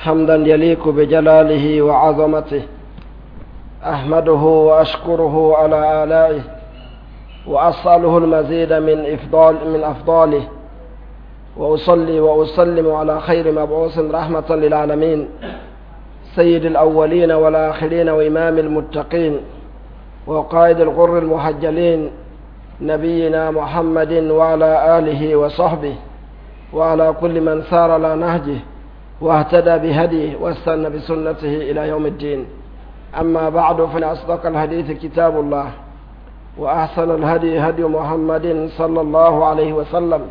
حمدا يليق بجلاله وعظمته. أحمده وأشكره على آلائه، وأسأله المزيد من أفضاله، وأصلي وأسلم على خير مبعوث رحمة للعالمين، سيد الأولين والآخرين وإمام المتقين وقائد الغر المحجلين، نبينا محمد وعلى آله وصحبه وعلى كل من سار على نهجه واهتدى بهديه واستنى بسنته إلى يوم الدين. أما بعد، فإن أصدق الحديث كتاب الله، وأحسن الهدي هدي محمد صلى الله عليه وسلم،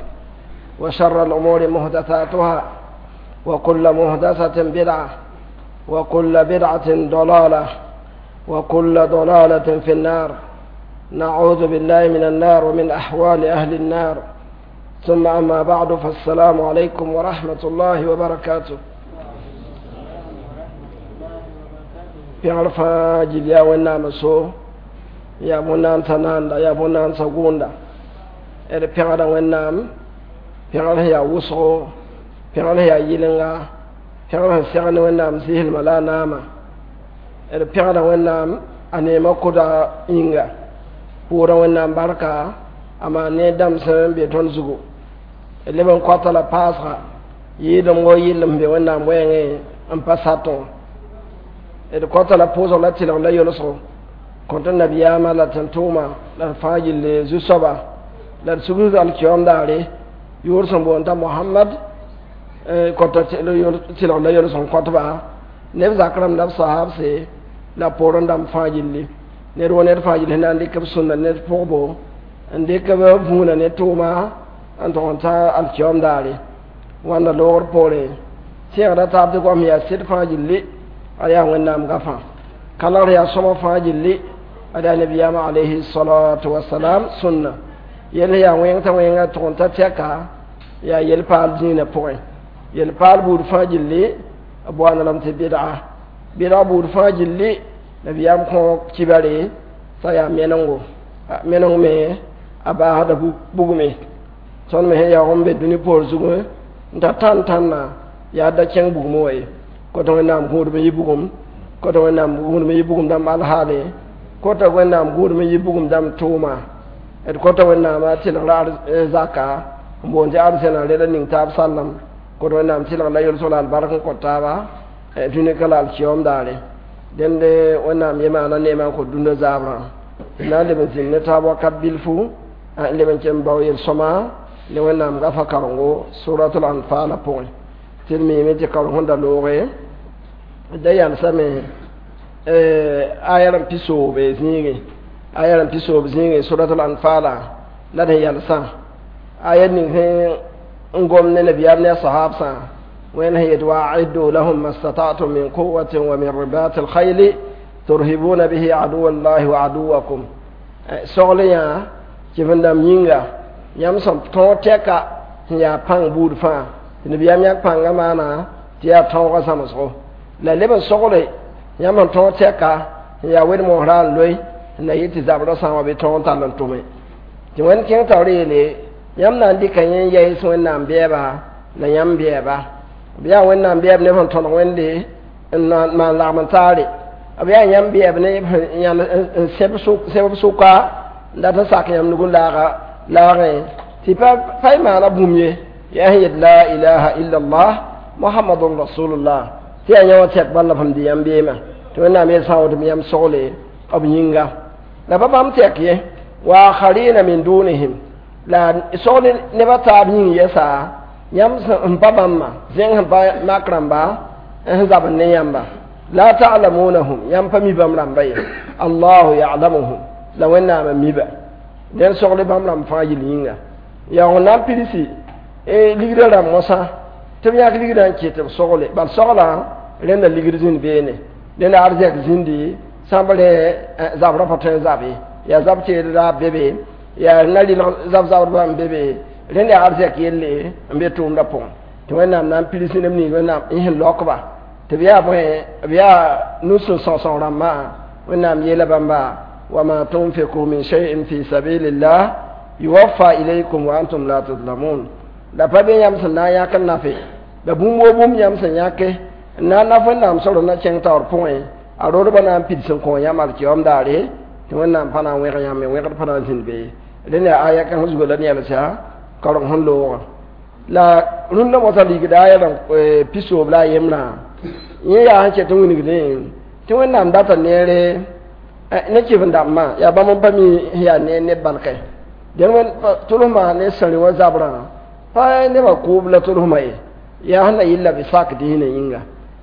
وشر الأمور محدثاتها، وكل محدثة بدعة، وكل بدعة ضلالة، وكل ضلالة في النار. نعوذ بالله من النار ومن أحوال أهل النار. ثم أما بعد، فالسلام عليكم ورحمة الله وبركاته. Pẽgr fãa gil yaa Wẽnnaam so, yaa bõn-naandsã naanda, yaa bõn-naandsã gʋʋnda. D pẽgda Wẽnnaam, pẽgr sẽn yaa wʋsgo, pẽgr sẽn yaa yɩlenga, pẽgr sẽn segd ne Wẽnnaam zɩslmã la a naama. D pẽgda Wẽnnaam a neemã koda yĩnga, pʋʋra Wẽnnaam barka a maan ne dãmb sẽn be tõnd zugu. D leb n koata la paasga yɩɩdem wo yɩllem be Wẽnnaam wɛɛngẽ n pa satẽ wã. D kota la pʋʋsg la tɩlg la yolsgo kõt nabiyaamã la tẽn-tʋʋma la d fãa gilli zu-soaba la d sugd alkiyoom daare yʋʋr sẽn boond t'a Mohamad, kota tɩlg la yols n kõtba neb zak rãmb la b sahabse la poorẽ dãmb fãa gilli. Ned wo ned fãa gilli sẽn na n dɩk b sũnna ned pʋgbo n dɩk b vũuna ne tʋʋma n tʋg n ta alkiyoom daare. Wãnda loogr poorẽ tẽegda taab tɩ goam yaa sɩd fãa gilli, a yaa Wẽnnaam gafã kalgr yaa sõma fãa gilli, ad yaa nabiyaamã alayhi salatu wasalam sũnna yell yaa wẽng t'a wẽnga tʋg n ta tɛka yaa yel-paal dĩinã pʋgẽ. Yel-paal buud fãa gilli b boanda lame tɩ bɩdga, bɩdg buud fãa gilli nabiyaam kõ kibare t'a yaa menengo, meneng me a baasda bugme. Tõnd me sẽn yaoog n be dũni poor zugẽ n ta tãn tãnna yaa da kẽng bugmẽ wa ye. Kota Wẽnnaam gũudb n yɩ bugum, kota Wẽnnaam gũudb n yɩ bugum dãmb alhaale, kota Wẽnnaam gũudb n yɩ bugum dãmb tʋʋma. D kota Wẽnnaamã tɩlgra zaka n boond tɩ arzẽna reda ning taab sallem. Kota Wẽnnaam tɩlg la yolsg la albark n kõt taaba dũni ka la alkiyoom daare. Dẽnde Wẽnnaam yemaana neemã n kõt dũnna zaabrã d na n leb n zĩnd ne taab wakat bilfu n leb n ken bao yel-sõma ne Wẽnnaam gafa karengo suratul anfala pʋgẽ. Tɩ d miime tɩ kareng sẽn da looge da yalsame aya rãmb pisoobe zĩigẽ, aya rãmb pisoob zĩigẽ suratul anfala la d sẽn yalsã aya ning sẽn n gom ne nabiyaam ne a sahabsã. Wẽnd sẽn yet waaiddu lahum ma stata'tum min quwatin wa min ribati alkhayli turhibuna bihi aduwa llahi wa aduwakum. Sogl yã kɩf-n dãmb yĩnga yãmb sẽn tõog tɛka sẽn yaa pãng buud fãa tɩ nabiyaam yãk pãngã maana tɩ yaa tõogã zãmsgo la leb n sogle yãmb sẽn tõog tɛka sẽn yaa wed-mosrã n loe n na yɩ tɩ zabrã sã n wa bɩ tõog n tall n tʋme tɩ Wẽnd kẽng taoor yeele yãmb na n dɩka yẽ n yɛɩs Wẽnnaam bɛɛba la yãmb bɛɛba. B yaa Wẽnnaam bɛɛb neb sẽn tõdg Wẽnde n maan lagm n taare, b yaa yãmb bɛɛb ne n sẽb sʋka n dat n sak yãmb nug n laaga laagẽ tɩ pa y maana bũmb ye yaa sẽn yet la ilaha illallah muhammadun rasulullah tɩ yaa yã wã tɛk bala b sẽn dɩ yãmb beemã tɩ Wẽnnaam yel sã n woto yãmb sogle b yĩnga la pa bãmb tɛk ye wa akharina min dunihim la sogle nebã taab yĩng yɛsa yãmb sẽn pa bãmba zẽng sẽn pa mak rãmba n zabd ne yãmba la ta'lamunahum yãmb pa mi bãmb rãmba ye allahu ya'lamuhum la Wẽnnaam n miba dẽn sogle bãmb rãmb fãa yel yĩnga yaa na n pilsi ligrã rãmb mosã tɩ b yãk ligrã n ket b sogle bal soglã rẽnda ligd zĩnd beene rẽnda arzɛk zĩndi sãmb rẽ zabrã pa tõe n zabe yaa zab teedra be be yaa na rɩlg zab-zabdbã n be be rẽnd yaa arzɛk yelle n be tʋʋmdã pʋgẽ tɩ Wẽnnaam na n pirs neb nins Wẽnnaam n sẽn laokba tɩ b yaa bõe b yaa nu-sẽn sõsg rãmbã. Wẽnnaam yeela bãmba wama tunfiku min shay'in fi sabilillah yuwaffa ilaykum wa antum la tuzlamun la pa be yãmb sẽn na n yãk n nafe la bũmb wo bũmb yãmb sẽn yãke Na na wẽnnaam sor na kẽng taoor pʋgẽ a rodbã na n pids n kõ yãmb alkiyoom daare tɩ wẽnnaam pa na n wẽg yãmb wẽgd pa na n zĩnd be rẽnd yaa aya kãng zuga la yɛlsa kaoreng sẽn loogã la rũndã mosã ligda aya rãmb pisoob la a yembrã yẽ yaa sẽn ket n wilgdẽ tɩ wẽnnaam data neere ne kɩf-n-dãmbã yaa bãmb n pa mi sẽn yaa neer neb barkɛ dẽn tʋlsmã ne sãrẽ wã zabrã pa nebã kʋʋb la tʋlsmã ye yaa sẽn na yɩl la b sak dĩinã yĩnga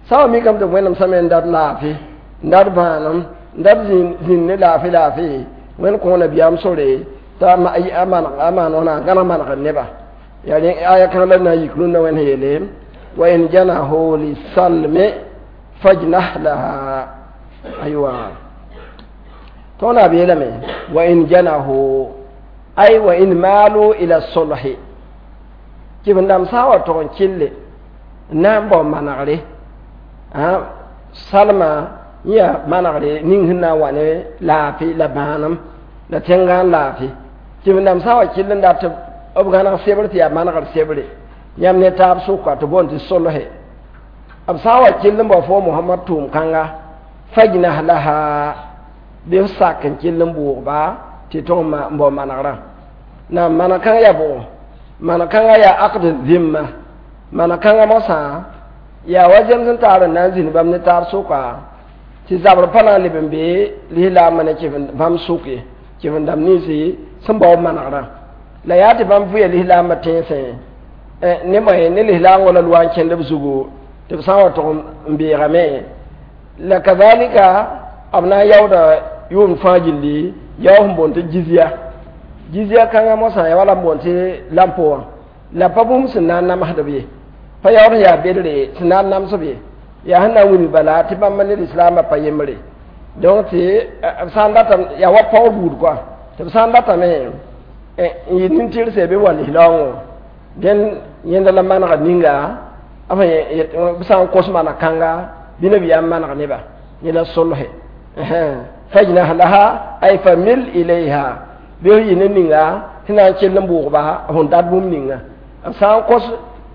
sã wa mikame tɩ wẽnnaam sãme n dat laafɩ n dat bãanem n dat zĩnd ne laafɩ laafɩ wẽnd kõ nabiyaam sore t'a a maan wãna gãneg manegr neba yaa aya kãng la na n yik rũndã wẽnd sẽn yeele wa in janahu lisalmi fajnah laha aywa tõnd b yeelame wa in janahu ay wa in maalu ila sulhi kɩf-n-dãmb sã n wa tog n kɩlle n na n bao manegre salma yã manegre ning sẽn na n wa ne laafɩ la bãanem la tẽngã laafɩ kɩf-n-dãmb sã n wa kɩll n dat b gãneg sebr tɩ yaa manegr sebre yãmb ne taab sʋka tɩ boond tɩ solhe b sã n wa kɩll n bao fo Mohamad tʋʋm kãnga fajnah laha bɩ f sak n kɩll n bʋʋgba tɩ tõg n bao manegrã na maneg kãng yaa bʋgo maneg kãngã yaa aqd zimma maneg kãngã mosã yaa wa zems n taar n na n zĩnd bãmb ne taab sʋka tɩ zabr pa na n leb n bee lislaambã ne bãmb sʋk ye kɩf-n-dãmb ninsi sẽn bao manegrã la yaa tɩ bãmb vʋya lislaambã tẽnsẽ ne moe ne lislaangõ la loa n kẽnd b zugu tɩ b sã n wa tog n beegame la kazalika b na n yaooda yʋʋmd fãa gilli yao sẽn boond tɩ jizya jizya kãngã mosã ya wala n boond tɩ lampo wã la pa bũmb sẽn na n namsdb ye pa yaood sẽn yaa bedre sẽn na n namsb ye yaa sẽn na n wilg bala tɩ bãmb ne lislaambã pa yembre donc tɩ b sã n data yaa wa paoor buud koa tɩ b sã n datame n yɩ nin-tɩrse bɩ wa lislaoongõ dẽn yẽnda la manega ninga b sã n kos maneg kãnga bɩ nabiyaam maneg neba yẽ la solhe fajnah laha ay famil ilayha bɩ f yɩ ne ninga tɩ na n kell n bʋʋgba f dat bũmb ninga b sã n kos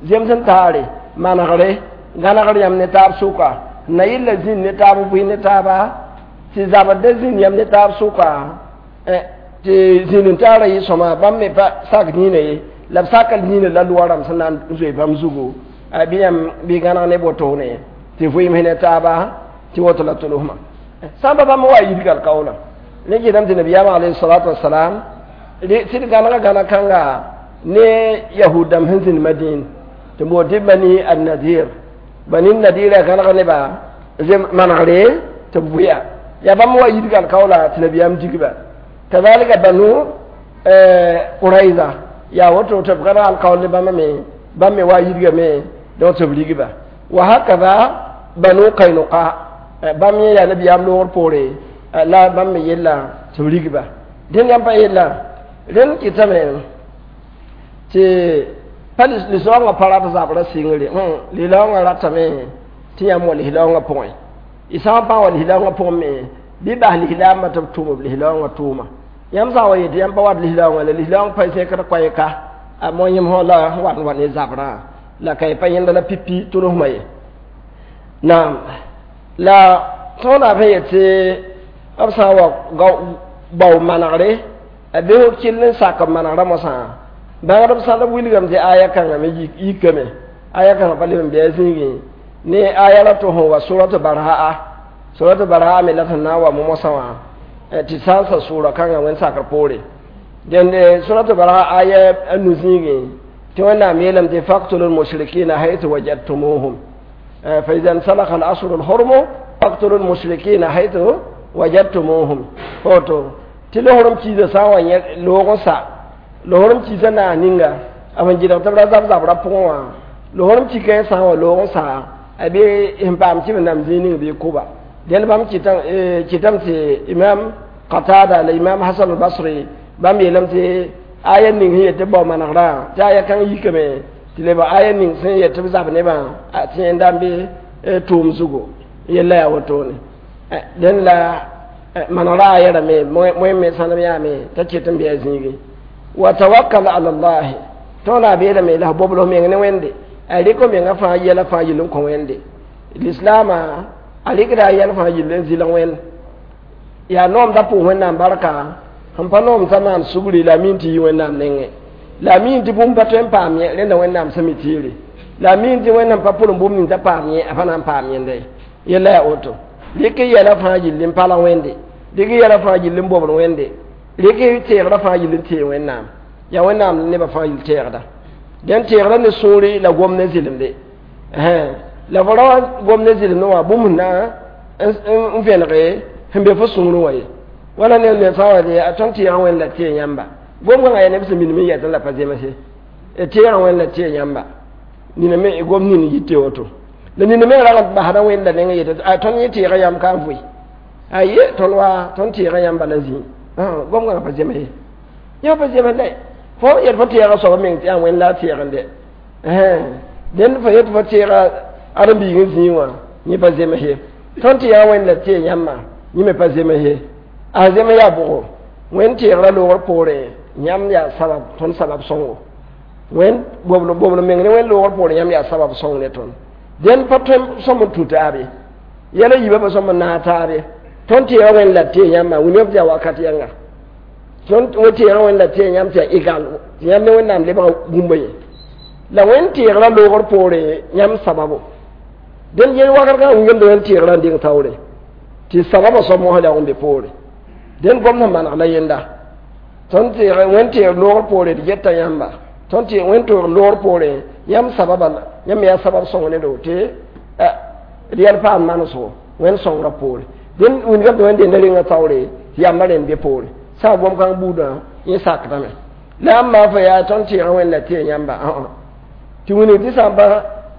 zems n taare manegre gãnegr yãmb ne taab sʋka na yɩl la zĩnd ne taab bʋɩ ne taaba tɩ zabd da zĩnd yãmb ne taab sʋka tɩ zĩnd n taara yɩ sõma bãmb me pa sak dĩinã ye la b saka dĩinã la loa rãmb sẽn na n zoe bãmb zugu bɩ yãmb bɩ gãneg ne wotone tɩ vʋɩɩm ne taaba tɩ woto la tʋlsmã sãmba bãmb wa yidg alkaoolã ne kɩtame tɩ nabiyaam alayhi salatu wasalam sɩd gãnega gãneg kãnga ne yahud dãmb sẽn zĩnd madĩin tɩ boond tɩ bani annadir bani nadir a gãneg neba manegre tɩ b vʋya yaa bãmb wa yidg alkaoola tɩ nabiyaam digba kazalika banu quraiza yaa woto tɩ b gãneg alkaool ne bãmba me bãmb me wa yidgame donc tɩ b rigba wa hakada banu kainuqa bãmb yẽ yaa nabiyaam loogr poore la bãmb me yella tɩ b rigba dẽnd yãmb pa yella rẽnd kɩtame tɩ pa lislaoongã pa rat zabrã sɩngre lislaoongã ratame tɩ yãmb wa lislaoongã pʋgẽ y sã n pa wa lislaoongã pʋgẽ me bɩ bas lislaambã tɩ b tʋm b lislaoongã tʋʋma yãmb sã n wa yetɩ yãmb pa wat lislaoongã la lislaoong pa zẽkd koɛɛka a mo yẽm sã la wat n wa ne zabrã la ka y pa yẽnda la pipi tʋlsmã ye naam la tõodã f yetɩ b sã n wa bao manegre a bɩ f kell n sak b manegrã mosã bãngdb sãnd b wilgame tɩ aya kãngã me yikame aya kãngã pa leb n bɩ a zĩigẽ ne aya ra tɩ sẽn wa suratu barhaa suratu barhaa me la sẽn na n wa mosã wã tɩ sã n sa sʋʋra kãngã wẽnd sakr poore dẽnd suratu barhaa aya a nu zĩigẽ tɩ wẽnnaam yeelame tɩ faktulu lmushrikina haythu wajadtumuhum fa ida nsalaka al ashhuru lhurmu faktulu lmushrikina haythu wajadtumuhum woto tɩ lohorem kiisã sã n wa yẽ loog n sa lohorem kiisã naas ninga b sẽn gɩdg tɩ b ra zab zabrã pʋgẽ wã lohorem kika yẽ sã n wa loog n sa a bɩ sẽn paam kɩf-n-dãmb zĩig ning bɩ kʋba dẽnd bãmb kɩtame tɩ imam Qatada la imam Hasan al-Basri bãmb yeelame tɩ aya ning sẽn yet tɩ bao manegrã tɩ aya kãng yikame tɩ leb aya ning sẽn yet tɩ b zab nebã tɩ yẽnda n bɩ tʋʋm zugu yella yaa wotone dẽnd la manegrã aya rame moe me sãnem yaame t'a ket n bɩ a zĩigi wa tawakkal ala allah tõona a beelame la f bobl f meng ne wẽnde a rɩk f mengã fãa yɛla fãa yɩl n kõ wẽnde Lislaamã a rɩkda a yɛl fãa yill n zɩlg wẽnd yaa noom da pʋʋs wẽnnaam barka sẽn pa noom t'a maan sugri la a miin tɩ yi wẽnnaam nengẽ la a miin tɩ bũmb pa tõe n paam yẽ rẽnda wẽnnaam sẽn mi tɩɩre la a miin tɩ wẽnnaam pa pʋrem bũmb ning t'a paam yẽ a pa na n paam yẽnda ye yella yaa woto rɩk yɛla fãa yill n palg wẽnde rɩk yɛla fãa yill n bobd wẽnde rɩk teegrã fãa yill n tee wẽnnaam yaa wẽnnaam nebã fãa yill teegda dẽn teegrã ne sũuri la gom ne zɩlemde la fo ra wa gom ne zɩlemdẽ wã bũmb na n vẽnege sẽn be fo sũurẽ wã ye wala ne ne sã wa a tõnd tɩɩgã wẽnd la tee yãmba gom kãngã yaa neb sẽn minim n yɛtẽ la pa zemse tɩɩgã wẽnd la tee yãmba nina me gom nin yite woto la nina me rag n basda wẽnda neng yetɩ a tõnd yẽ tɩɩgã yãmb ka n vʋɩ aye tõnd wa tõnd tɩɩgã yãmba la zĩ gom kãngã pa zems ye yã pa zems la fo yet fo tɩɩgã soaba meng tɩ yaa wẽnd la a tɩɩgende dẽnd fo yet fo tɩɩga ãdem-biig n zĩig wã yẽ pa zems ye tõnd tɩɩgã wẽnd la tee yãmbã yẽ me pa zems ye a zems yaa bʋgo wẽnd tɩɩgrã loogr poorẽ yãmb yaa sabab tõnd sabab sõngo wẽnd bobl meng ne wẽnd loogr poorẽ yãmb yaa sabab sõng ne tõnd dẽnd pa tõe sõm n tũ taab ye yɛla yiibã pa sõm n naag taab ye tõnd tɩɩgã wẽnd la tee yãmbã wilgame tɩ yaa wakat yãnga tõnd tɩɩgã wẽnd la tee yãmb tɩ yaa egal tɩ yãmb ne wẽnnaam lebga bũmba ye la wẽnd tɩɩgrã loogr poorẽ yãmb sababo dẽnd yel wakat kãngã wilgamda wẽnd tɩɩgrã n deng taoore tɩ sababã soab mosã la n be poore dẽnd gom sẽn maneg la yenda tõnd tɩɩg wẽnd tɩɩg loogr poore d geta yãmba tõnd tɩ wẽnd toog loogr poore yãmb sababa yãmb yaa sabab sõng ne do tɩ d yɛl paam manesgo wẽnd sõngrã poore dẽnd wilgame tɩ wẽnd denda rengã taoore tɩ yãmbã rẽnd be poore sã gom kãng buudã yẽ sakdame la yãmb maa fo yaa tõnd tɩɩgã wẽnd la tee yãmba tɩ wilg tɩ sã n pa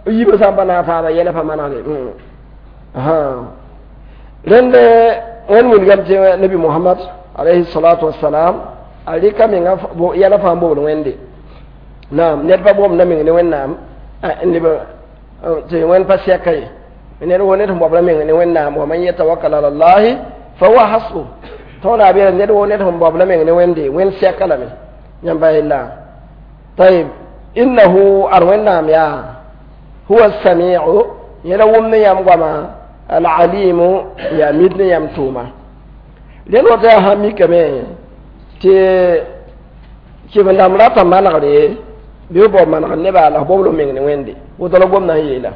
yiibã sã n pa naag taaba yɛla pa manegde rẽnd wẽnd wilgame tɩ nabi Mohamad alayhi salatu wassalam a rɩka menga yɛla fãa bobd wẽnde naam ned pa bobda meng ne wẽnnaam leb tɩ wẽnd pa sɛka ye ned wo ned sẽn bobda meng ne wẽnnaam wa man yatawakkal ala llahi fa huwa hasbu tõoda a beela ned wo ned sẽn bobda meng ne wẽnde wẽnd sɛka lame yãmba yella tayib innahu ad wẽnnaam yaa huwa samiu yẽla wʋmd ne yãmb goama alalimu yaa mid ne yãmb tʋʋma rẽnd woto yaa sã mikame tɩ kɩf-dãmb rata manegre bɩ b bao manegr nebã la f bobl f meng ne wẽnde woto la gomdã n yeela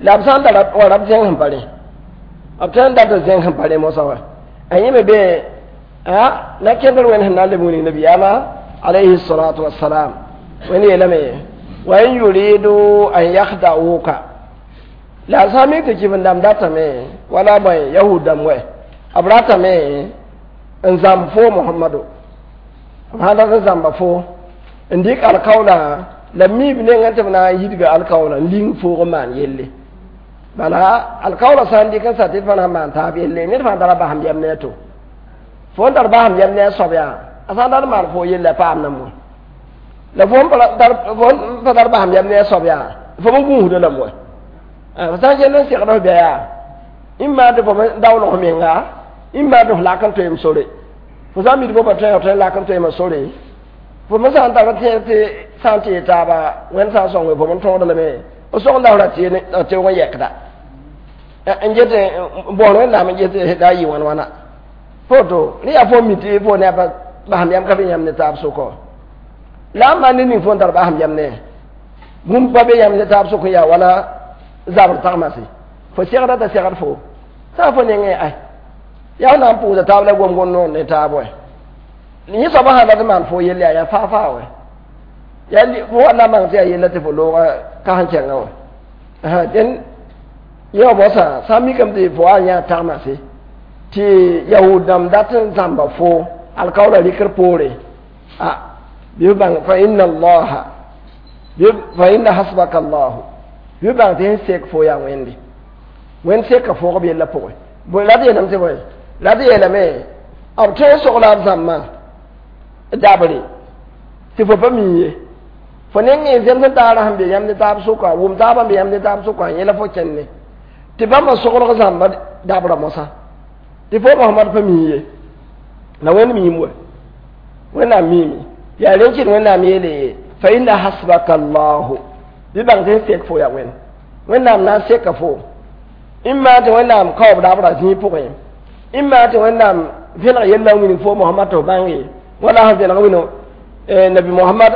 la b sã n tara wa rab zẽng sẽn pa rẽ b tõe n dat n zẽng sẽn pa rẽ mosã wa a yẽ me be la kẽndr wẽnd sẽn na n leb wilg nabiyaamã alayhi salatu wassalam wẽnd yeelame wa in yuridu an yakhda'uka la sã n mik tɩ kɩf-dãmb datame wala bõe yahud dãmb wɛ b ratame n zãmb fo Mohamado b sã dat n zãmba fo n dɩk alkaoola la miib nengã tɩ b na n yidga alkaoola n ling foog n maan yelle bala alkaoola sã n dɩk n sa tɩ d pa na n maan taab yelle ned fãa tara basem yɛm ne a to fo n tar basem yɛm ne a soab yaa a sã n dat n maan fo yelle a paam na mo la fo n pa tar basem yɛm ne a soab yaa fo n gũusda lame wa f sã n kell n segd f bɩa yaa ĩmma tɩ fo daoolg f menga ĩmma tɩ f lak n toeem sore fo sã n mid fo pa tõe f tõe n lak n toeema sore fo me sã n tar tẽed tɩ sã n tɩ taaba wẽnd sã n sõnge fo n tõogd lame f sõgda f ra teoog n yɛkda n get n bõor wẽnnaam n get la a yɩ wãn wãna foto rẽ yaa fo mi tɩ fo ne a basem yam ka be yãmb ne taab sʋkɔ la n maan ne ning fo n tar basem yam ne bũmb pa be yãmb ne taab sʋk n yaa wala zabr tagmase fo segda t'a segd fo sã fo nengẽ ay yaa na n pʋʋsa taab la gom-gom noor ne taab wɛ yẽ soabã sã dat n maan fo yelle yaa faa faa wɛ yaa fo wa na n bãng tɩ yaa yella tɩ fo looga ka sẽn kẽngã wɛ dẽn yẽ wã mosã sã n mikame tɩ fo wa n yã tagmase tɩ yahud dãmb dat n zãmba fo alkaoola rɩkr poore a bɩ f bãng fa inna allaha fa inna hasbaka allahu bɩ f bãng tɩ sẽn sek fo yaa wẽnde wẽnd seka foogb yella pʋgẽ bõe la d yeelame tɩ bõe la d yeelame b tõe n sogla b zãmbã dabre tɩ fo pa mi ye fo nengẽ zems n taara sẽn be yãmb ne taab sʋka wʋm taabã be yãmb ne taab sʋka yẽla fo kẽnne tɩ bãmba soglg zãmba dabra mosã tɩ fo Mohamad pa mi ye la wẽnd miim wa wẽnnaam miime yaa rẽn kɩt wẽnnaam yeele fa inna hasbaka allahu bɩ bãng tɩ sẽn sek fo yaa wẽnd wẽnnaam na n seka fo Imma tɩ Wẽnnaam kaoob dabra zĩig pʋgẽ, imma tɩ Wẽnnaam vẽneg yella n wilg fo Mohamad tɩ f bãnge, wala sẽn vẽneg wĩnã Nabi Mohamad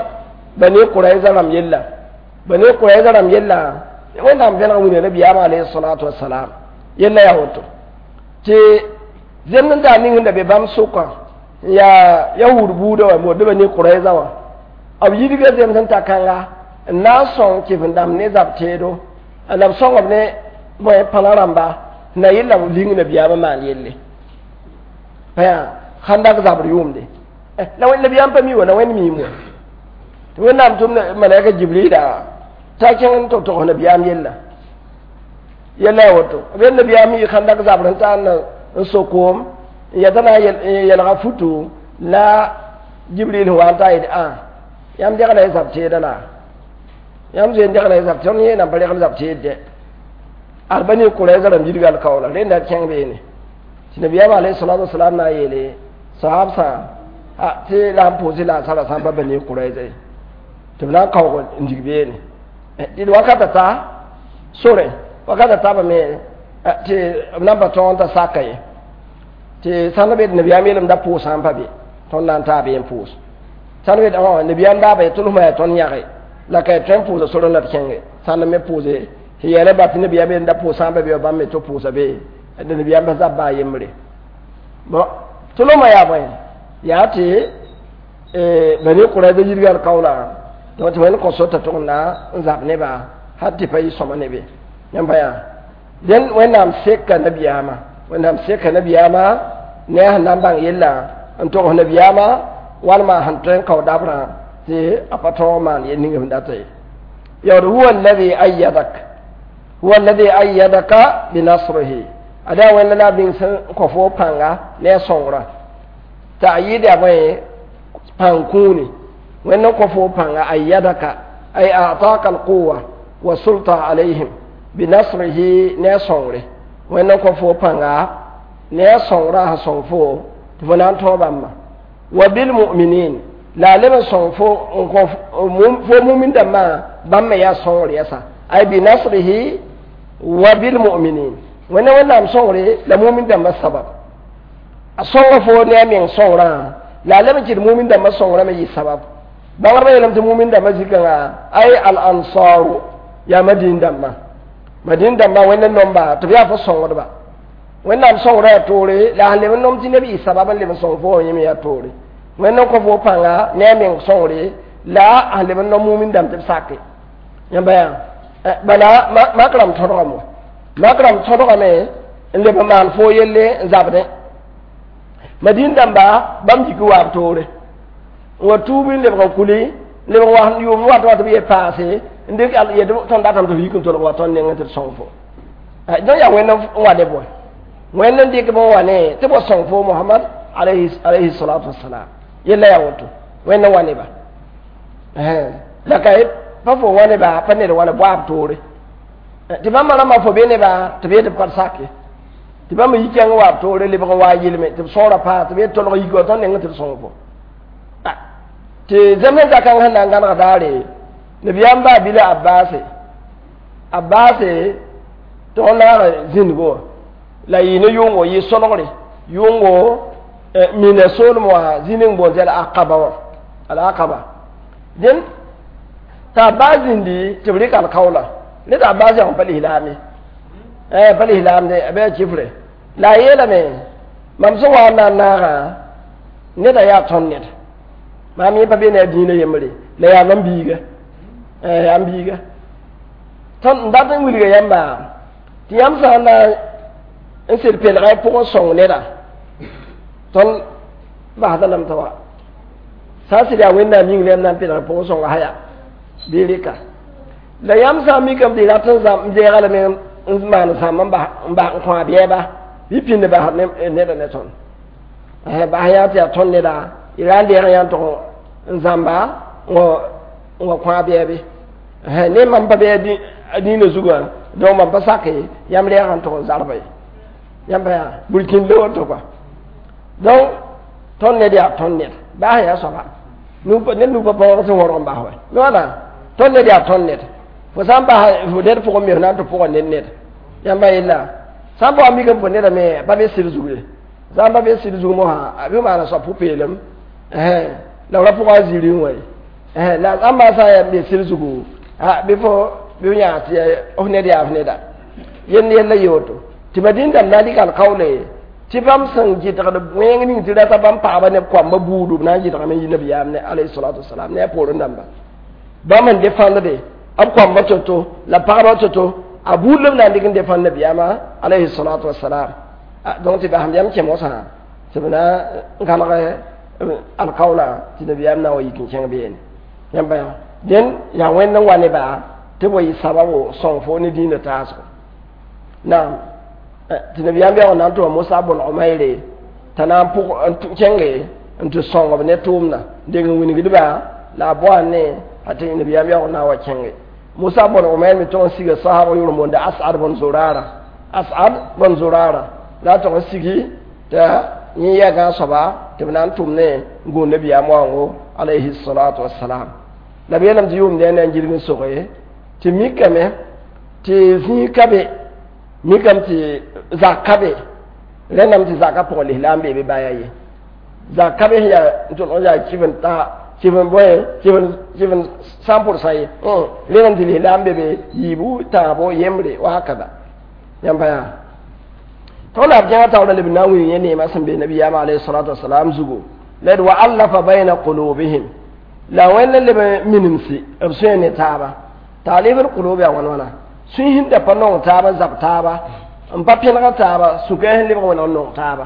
Bani Qurayza rãmb yella, Bani Qurayza rãmb yella Wẽnnaam vẽneg wĩna nabiyaamã alayhi salatu wasalam yella yaa woto. Tɩ zemd n taa ning sẽn da be bãmb sʋkã n yaa yahud buudã wã boond Bani Qurayza wã, b yidga zems n ta kãnga n na n sõng kɩf-n-dãmb ne zab teedo, la b sõng b ne bõe pãna rãmba na yella b ling nabiyaamã maan yelle pa yaa Khandak zabr yʋʋmde. La nabiyaam pa mi wa, la Wẽnd miim wa tɩ Wẽnnaam tʋm malaika Jibrila t'a kẽng n tɩ togs nabiyaam yella. Yella yaa woto, b yel nabiyaam yɩ Khandak zabr n taa n so koom n yɛta na n yelga futu la Jibril sẽn wa n ta yet a yãmb degla y zab teeda la yãmb zoe n degla y zab tõnd yẽenam pa regl zab teed dɛ ad Bani Qurayza rãmb yidga alkaoola rẽnda kẽng beene tɩ nabiyaam alayhi salatu wasalam na n yeele sahabsã tɩ la n pʋʋsɩ la a sara sã n pa Bani Qurayza ye tɩ b na n kaoog n dig beene tɩ wakata ta sore wakata taabame tɩ b na n pa tõog n ta saka ye tɩ sãn be nabiyaam yeelame da pʋʋsã n pa be tõnd na n taa be n pʋʋs sãn be nabiyaam daaba ye tʋlsmã yaa tõnd yãge la ka tõe n pʋʋsa sore la d kẽnge sãn me pʋʋse tɩ yɛɛla ba tɩ nabiyaam yeelame da pʋʋsã n pa be wa bãmb me tɩ pʋʋsa be nabiyaam pa zab baa yembre bon tʋlsmã yaa bõe yaa tɩ Bani Qurayza yidga alkaoola donc tɩ wẽnd kõ sor t'a tʋg n na n zab neba hal tɩ pa yɩ sõma ne be yãmb pa yaa dẽn Wẽnnaam seka nabiyaamã, Wẽnnaam seka nabiyaamã ne a sẽn na n bãng yella n togs nabiyaamã walma sẽn tõe n kao dabrã tɩ a pa tõog maan yel ning sẽn data ye. Yaood huwa alladhi ayyadak, huwa alladhi ayyadaka binasrihi, ada Wẽnda la a bĩng sẽn kõ fo pãnga ne a sõngrã ta'yid yaa bõe pãng kũuni Wẽnd n kõ fo pãnga ayyadaka ay a'taka alquwa wa sulta alayhim binasrihi ne a sõngre Wẽnd n kõ fo pãnga ne a sõngrã sẽn sõng fo tɩ fo na n tõog bãmba wa bilmuminin la a leb n sõng fo n kõ fo mumin dãmbã bãmb me yaa sõngr yɛsa ay binasrihi wa bilmuminin Wẽnna Wẽnnaam sõngre la mumin dãmbã sabab a sõnga fo ne a meng sõngrã la a leb n kɩt mumin dãmbã sõngrã me yɩ sabab bãngdbã yeelame tɩ mumin dãmbã zikãngã ay al ansaru yaa Madin dãmbã, Madin dãmbã Wẽnd n nomba tɩ b yaa fo sõngdba Wẽnnaam sõngrã yaa toore la a sẽn leb n nom tɩ neb yɩ sabab n leb n sõng fo wã yẽ me yaa toore Wẽnd n kõ fo pãnga ne a meng sõngre la a sẽn leb n nom mumin dãmb tɩ b sake yãmba yaa bala mak rãmb tõdgame wa mak rãmb tõdgame n leb n maan fo yelle n zabdẽ Madin dãmba bãmb yik waab toore n wa tuub n lebg n kuli n lebg wa yʋʋm wat wa tɩ b ye paase n dɩk yet tõnd datame tɩ b yik n tolg wa tõnd nengẽ tɩ d sõng fo donc yaa Wẽnd n wa ne bõe Wẽnd n dɩk bõn wa ne tɩ b wa sõng fo Mohamad alayhi salatu wasalam yella yaa woto Wẽnd n wa neba la ka pa fo wa neba pa ned wa ne boab toore tɩ bãmba rãmbã fo be neba tɩ b yet b pa sake tɩ bãmb yi kẽng waab toore lebg n wa yɩlme tɩ b sõora paa tɩ b yet tolg yik wa tõnd nengẽ tɩ d sõng fo tɩ zemsẽ zakãng sẽn na n gãneg daare nabiyaam baa bila Abbaase Abbaase tɩ f naag zĩndgo wã la yɩ ne yʋngo yɩ solgre yʋngo mina soolem wã zĩ ning boond tɩ al-Aqaba wã al-Aqaba dẽn t'a Abbas zĩndi tɩ b rɩk alkaoola ne t'a Abbas yãg pa lislaame pa lislaamde a bɩ a kifre la a yeelame mam sẽn wa n na n naagã neda yaa tõnd ned maam yẽ pa be ne a dĩinã yembre la yaa mam biiga yaa m biiga tõnd n dat n wilga yãmba tɩ yãmb sã n na n sed pelga y pʋgẽ sõng neda tõnd basda lame t'a wa sã n sɩd yaa Wẽnnaam yĩng la yãmb na n pelg pʋgẽ sõnga sã yaa bɩ rɩka la yãmb sã n mikame tɩ rat n deega lame n maan zãmb n bas n kõ a bɛɛba bɩ pĩnd bas neda ne tõnd bas yã tɩ yaa tõnd neda y ra n deeg yã n tʋg n zãmba n wa kõ a bɛɛbe ne mam pa be a dĩinã zugã donc mam pa sake yãmb reeg n tʋg n zarba ye yãmb pa yaa burkĩnd woto kɔa donc tõnd ned yaa tõnd ned baas yaa soaba ned nu pa paoog sẽn wõrg n bas wa wala tõnd ned yaa tõnd ned fo sã n bas fo ned pʋgẽ me f na n tɩ pʋga ned ned Yãmba yella sã n bao mik n pʋ nedame pa be sɩd zug ye, sã n pa be sɩd zug mosã, a bɩ maana soab pʋ-peelem la b ra pʋga a ziiri n wa ye. La ãmba sã n yaa n be sɩd zugu, bɩ fo bɩ f yãag tɩ f ned yaa f neda yell yella ye woto. Tɩ madĩn dãmb na n dɩk alkaoole tɩ bãmb sẽn gɩdgd wẽng ning tɩ rata bãmb pagba ne b koamba buudu, b na n gɩdgame yi nabiyaam ne alayhi salatu wasalam ne a poorẽ dãmba. Bãmb n defãndde b koamba to-to la pagba to-to, a buud la b na n dɩk n defãnd nabiyaamã alayhi salatu wasalam. Donc tɩ basem yam kẽ mosã tɩ b na n kalg alkaoolã tɩ nabiyaam na n wa yik n kẽng beene. Yãmba yã dẽn yaa wẽnd n wa neba tɩ b wa yɩ sababo sõng fo ne dĩinã taasgo. Naam, tɩ nabiyaam yaoog na n tʋma Mosa bõn Omayre t'a na n pʋg n kẽnge n tɩ sõng b ne tʋʋmdã deng n wilgdba la a boa ne a tɩ nabiyaam yaoog na n wa kẽnge. Mosa bõn Omayr me tõg n siga sahab yʋr n boonda Asad bõn Zorara, Asad bõn Zorara la a tõg n sigi t'a yẽ yɛa gãag soaba tɩ b na n tʋm ne n gũud nabiyaam waoongo alayhi salatu wassalam. La b yeelame tɩ yʋʋmd yaa na n gilg n soge tɩ mikame tɩ zĩig ka be, mikame tɩ zak ka be, rẽndame tɩ zakã pʋgẽ lislaam bee bɩ baya ye. Zak ka be sẽn yaa n tõlg n yaa kɩf n ta kɩf n bõe kɩf n 100% ye, rẽndame tɩ lislaam be be yiibu tãabo yembre wakaba. Yãmba yaa tõnd la b kẽngã taoorã leb n na n wilg yẽ neemã sẽn be nabiyaamã alayhi salatu wasalam zugu la d wa allafa bayna qulubihim la wẽnd n leb n minimsi b sũyã ne taaba. Taalif l qulub yaa wãn wãna sũy sẽn da pa nong taaba n zab taaba n pa pẽnega taaba sũkã sẽn lebg wẽneg n nong taaba.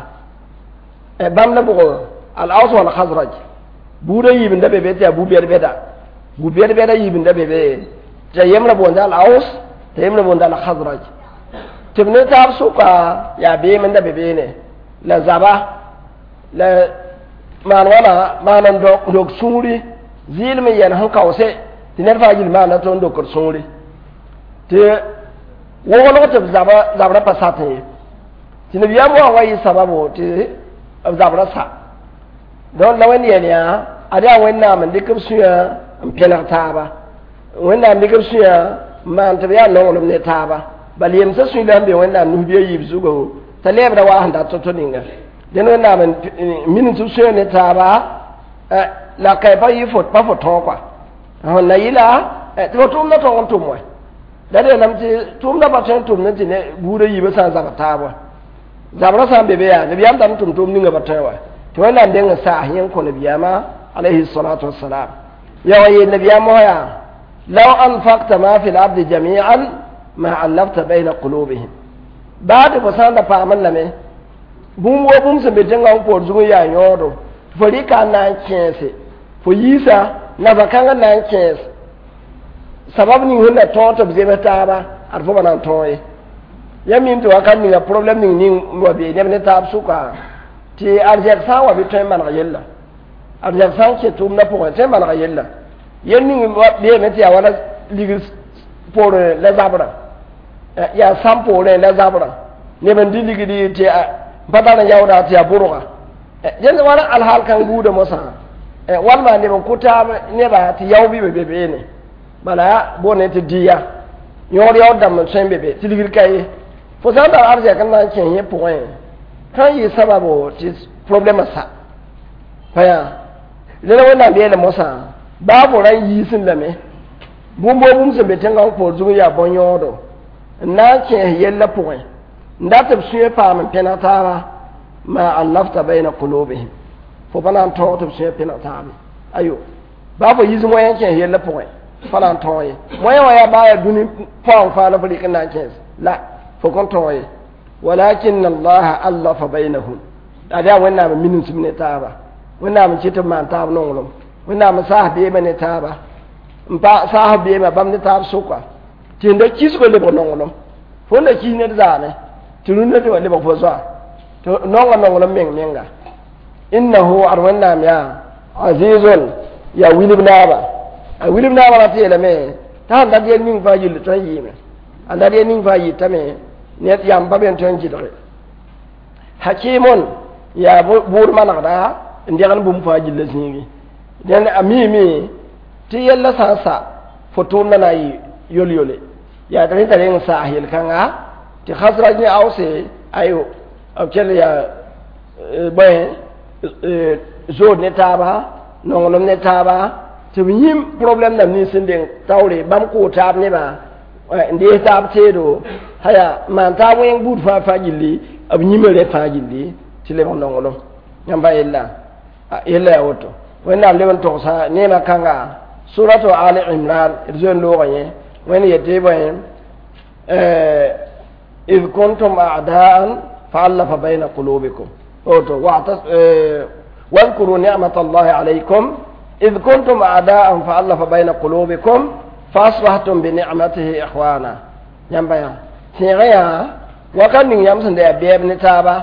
Bãmb la bʋgo al aus wal khazraj buudã yiib n da be be tɩ yaa bu-bɛd-bɛda, bu-bɛd-bɛda yiib n da be be tɩ a yembrã boonda al aus tɩ yembrã boonda al khazraj tɩ b ne taab sʋka yaa beem n da be beene la zaba la maan wãna maan n dok sũuri zɩɩlem n yɛl sẽn kaoose tɩ ned fãa yil maana tɩ n dokd sũuri tɩ woglg tɩ b zabrã pa satẽ ye tɩ nabiyaam wã wa yɩ sababo tɩ b zabrã sa. Donc la wẽnd yɛl yaa ad yaa Wẽnnaam n dɩk b sũyã n pẽneg taaba, Wẽnnaam dɩk b sũyã n maan tɩ b yaa nonglem ne taaba. Bal yemsã sũy la n be Wẽnnaam nus-bia yiib zugu t'a lɛɛbda waa sẽn dat to-to ninga. Dẽn Wẽnnaam n minim tɩ b sũyã ne taaba la ka pa yɩ fo pa fo tõog kɔa sẽn na yɩla tɩ fo tʋʋmdã tõog n tʋm wɛ la d yeelame tɩ tʋʋmdã pa tõe n tʋmd tɩ ne buudã yiibã sã n zabr taab wã zabrã sã n be be yaa nabiyaam dat n tʋm tʋʋm ninga pa tõe wa tɩ Wẽnnaam deng n saas yẽ n kõ nabiyaamã alayhi salatu wassalam. Ya wa yeel nabiyaam mosã yaa law anfaqta ma fi lardi jami'an ma allafta bayna qulubihim baa tɩ fo sã n da paamd lame bũmb wa bũmb sẽn be tẽngã n poor zug n yaa yõodo fo rɩka n na n kẽese fo yiisa nafa kãngã na n kẽes sabab ning sẽn na tõog tɩ b zems taaba ad fo pa na n tõog ye. Ya mim tɩ wakat ninga problème ning ning wa bee neb ne taab sʋka tɩ arzɛk sã n wa bɩ tõe n maneg yella, arzɛk sã n kẽ tʋʋmdã pʋgẽ tõe n manega yella yel ning beeme tɩ yaa wala ligd poorẽ la zabrã yaa sãm poorẽ la zabrã neb n dɩ ligdi tɩ pa tar n yaooda tɩ yaa bʋrga dẽnd wala alhaal kãng buudã mosã walma neb n kʋ taab neba tɩ yao bɩ be beene bala boone tɩ dɩya yõod yaood dãmb n tõe n be be tɩ ligd ka ye fo sã n tar arzɛk n na n kẽ yẽ pʋgẽ sã n yɩ sababo tɩ problɛmã sa pa yaa rẽna Wẽnnaam yeele mosã baa fo ra n yiisẽ lame bũmb wa bũmb sẽn be tẽngã n poor zug n yaa bõn-yõodo n na n kẽes yellã pʋgẽ n dat tɩ b sũyã paam n pẽneg taaba ma allafta bayna qulubihim fo pa na n tõog tɩ b sũyã pẽneg taabe ayo baa fo yiis moyã n kẽes yellã pʋgẽ pa na n tõog ye moyã wã yaa baa yaa dũni paoong faa la fo rɩk n na n kẽes la fo kõn tõog ye walakin allaha allafa baynahum ad yaa Wẽnnaam n minim ne taaba, Wẽnnaam n kɩt tɩ b maan taab nonglem, Wẽnnaam n saas beemã ne taaba n pa saas beemã bãmb ne taab sʋka tɩ n da kisgo lebg nonglem fo n da kis ned zaane tɩ rũndã tɩ wa lebg fo zoa tɩ nonga nonglem meng menga innahu ad Wẽnnaam yaa azizun yaa wilb naaba a wilb naaba ra tɩ yeelame t'a sẽn dat yel ning fãa yill tõe n yɩɩme a dat yel ning fãa yɩtame ned yãmb pa be n tõe n gɩdge hakimun yaa bʋʋd manegda n degn bũmb fãa gilla zĩigi dẽnd a miime tɩ yella sã n sa fo tʋʋmdã na n yɩ yol-yole yaa tɩ rẽ t'a reng n saas yel-kãnga Tɩ Khazraj ne Ause ayo b kell yaa bõe zood ne taaba nonglem ne taaba tɩ b yĩm problɛm dãmb nins sẽn deng taoore bãmb koo taab nebã n dees taab teedo haya maan taab wẽng buud fãa fãa gilli b yĩma rẽ fãa gilli tɩ lebg nonglem yãmba yella yella yaa woto wẽnnaam leb n togsa neemã kãnga suratu Ali Imran d zoe n loogã yẽ wẽnd yetɩ bõe إذ كنتم أعداء فألف بين قلوبكم واذكروا نعمة الله عليكم إذ كنتم أعداء فألف بين قلوبكم فأصبحتم بنعمته إخوانا ينبيا سيغيا وكان يم سن ده بيب نتابا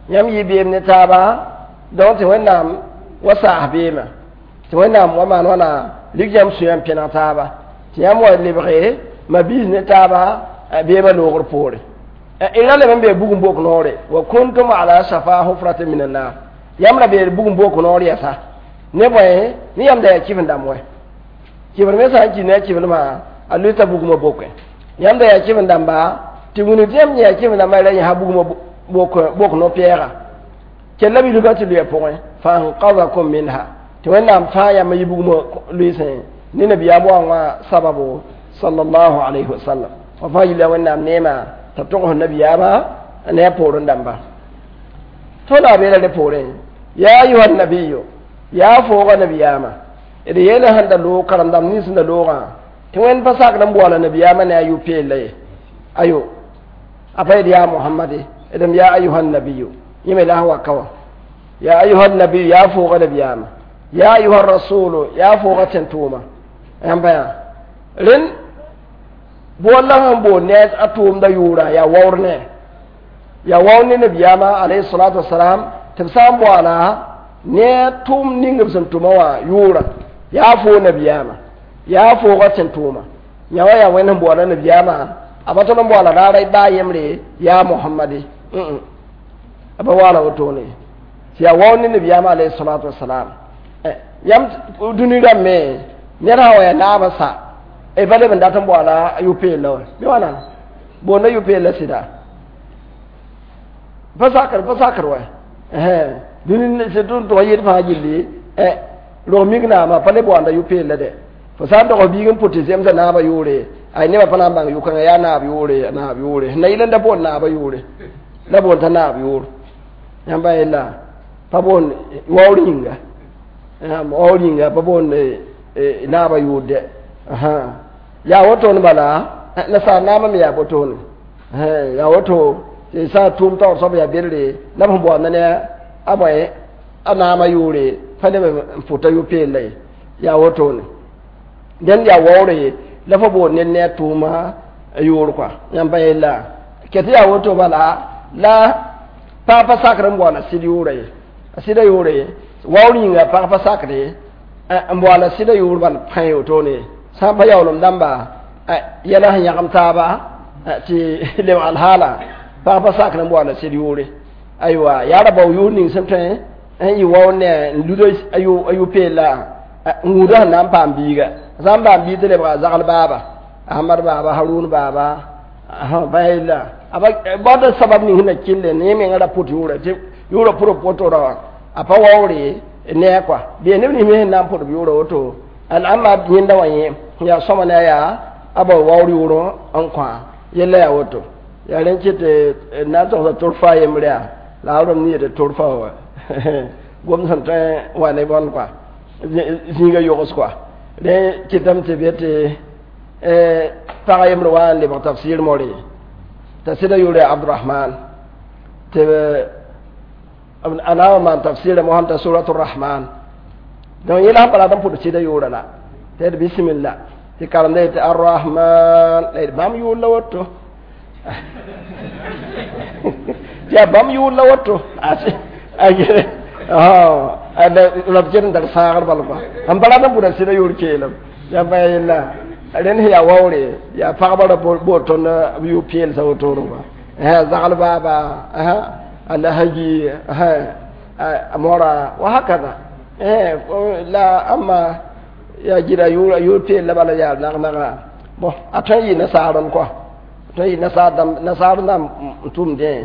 يم يي بيب نتابا دونك وينام وسا بيما وينام وما وانا ليك يم سيام بينا تابا تيام ولبغي ما بيز نتابا بيما لوغر بوري ila le be bugum bok nore wa kuntum ala shafa hufratin minan nar yamra be bugum bok nore yasa ne boye ni yam da kifin da moy kifin me sa ki ne kifin ma aluta bugum bok yam da ya kifin da ba ti wuni tem ya kifin da mai ran ha bugum bok bok no piera kella bi lugati lu pon fa anqadhakum minha ti wannan fa ya mai bugum luisen ni nabiya bo wa sababu sallallahu alaihi wasallam wa fa ila wannan nema tɩ b tʋgs nabiyaamã ne a poorẽ dãmba tõnd a beela rẽ poorẽ yaa ayuha nabiyo yaa fooga nabiyaamã d yeela sẽn da loog karen-dãmb nins sẽn da loogã tɩ wẽnd pa sakd n boala nabiyaamã ne a yʋ-peella ye ayo a pa yed yaa mohamade d yaa ayuha nabiyo yẽ me la sẽn wa ka wã yaa ayuha nabiyo yaa fooga nabiyaamã yaa ayuha rasulu yaa fooga tẽn-tʋʋma yãmba yaa rẽnd bolla sẽn boond ne a tʋʋmda yʋʋra yaa waoor ne yaa waoor ne nabiyaamã alayhi salatu wasalam tɩ b sã n boala ne a tʋʋm ning b sẽn tʋma wã yʋʋra yaa foo nabiyaamã yaa foogã tẽn tʋʋma yã wã yaa wẽnd sẽn boala nabiyaamã a pa tõd n boala raara baa yembre yaa mohamade a pa waala wotone tɩ yaa waoor ne nabiyaamã alayhi salatu wasalam yãmb dũni rãmb me ned sã wa yaa naabã sa e ba leb n dat n boala yʋ-peella wã bɩ wãna boonda yʋ-peella sɩda pa sakr wa dũni sẽn tʋg yɩd fãa gilli rog mik naamã pa le boanda yʋ-peella dɛ fo sã n dog biig n pʋt tɩ zemsa naabã yʋʋre ay nebã pa na n bãng yʋ-kãngã yaa naab yʋʋre naab yʋʋre na yɩl n da boond naabã yʋʋre la boond t'a naab yʋʋr yãmba yella pa boond waoor yĩnga waoor yĩnga pa boond naabã yʋʋr dɛ yaa wotone bala nasaar naamã me yaa botone yaa woto tɩ sã n tʋʋm taoor soab yaa bedre la b sẽn boanda ne a bõe a naamã yʋʋre pa leb n pʋta yʋ-peella ye yaa wotone dẽnd yaa waoore la fo boond ned ne a tʋʋma yʋʋr kɔa yãmb pa yella ket yaa woto bala la pag pa sakr n boala sɩd yʋʋra ye a sɩda yʋʋre waoor yĩnga pag pa sakre n boala sɩda yʋʋr bal pãe wotone sã n pa yaoolem dãmba yɛla sẽn yãgem taaba tɩ lebg alhaala pag pa sakr n boala sɩd yʋʋre aywa yaa ra bao yʋʋr ning sẽn tõe n yɩ waoor ne n luda a yʋ-peella n wũuda sẽn na n paam biiga sã n paam biig tɩ lebga zagl baaba Ahmad baaba Harun baaba pa yella bada sabab ning sẽn na kɩlle ne menga ra pʋt yʋʋra tɩ yʋʋra pʋr poto ra wã a pa waoore ne a kɔa bee neb nins me sẽn na n pʋd b yʋʋra woto al'amma yẽnda wã yẽ yaa sõma ne a yaa a bao waoor yʋʋr n kõ yella yaa woto yaa rẽn kɩ tɩ na n togsa torfa yembre yaa la a rõmb ne yetɩ torfa wa gom sẽn tõe wa ne bõn kɔa zĩiga yogs kɔa rẽ kɩtame tɩ be tɩ pag yembr wa n lebg tafsir more t'a sɩda yʋʋr yaa Abdurahman tɩ a na n maan tafsira mosã t'a suratu Rahman donc yẽla sẽn pa rat n pʋd sɩda yʋʋra la tɩ d bisimilla tɩ karemda yetɩ arrahman la yet bãmb yʋʋr la woto tɩ yaa bãmb yʋʋr la woto la b ket n tar sãagr bal kɔa sẽn pa rat n pʋda sɩda yʋʋr keelem yãmb pa yella rẽnd sẽn yaa waoore yaa pagba ra bood tõnd b yʋ-peelsa wotone kɔa zagl baaba alhaji mora wa hakada la amma yaa gira yʋʋr peel la bala yaa nag-naga bon a tõe n yɩ nasaarem kɔa Tõe n nasaar dãmb n tʋmdẽ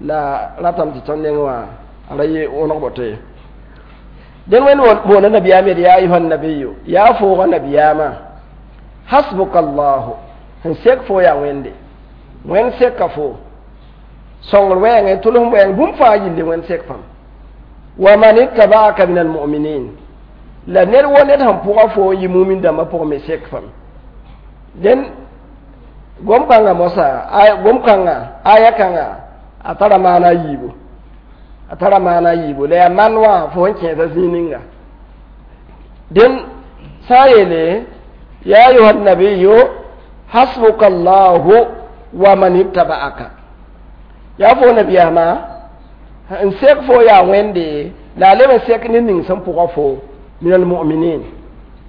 la ratame tɩ tõnd neng wã a ra yɩ wõneg boto ye. Dẽn wẽnd boonda nabiyaam yeel yaa ayuha nabiyu, yaa foogã nabiyaamã, hasbuka allahu, sẽn sek fo yaa Wẽnde, Wẽnd seka fo sõngr wɛɛngẽ, tʋlsem wɛɛng, bũmb fãa yille Wẽnd sek fãm. Wa man ittabaaka min almuminin, la ned wo ned sẽn pʋga fo n yɩ mumin dãmbã pʋgẽ me sek fam. Dẽn gom-kãngã moasã, gom-kãngã aya kãngã a tara maana a yiibu, a tara maana a yiibu, la yaa man wã fo sẽn kẽesa zĩig ninga. Dẽn sã n yeele ya ayuha nabiyu hasbuka allahu wa man ittaba'aka, yaa fo nabiyaamã n sek fo yaa Wẽnde, la a leb n sek ned ning sẽn pʋga fo min almuminin,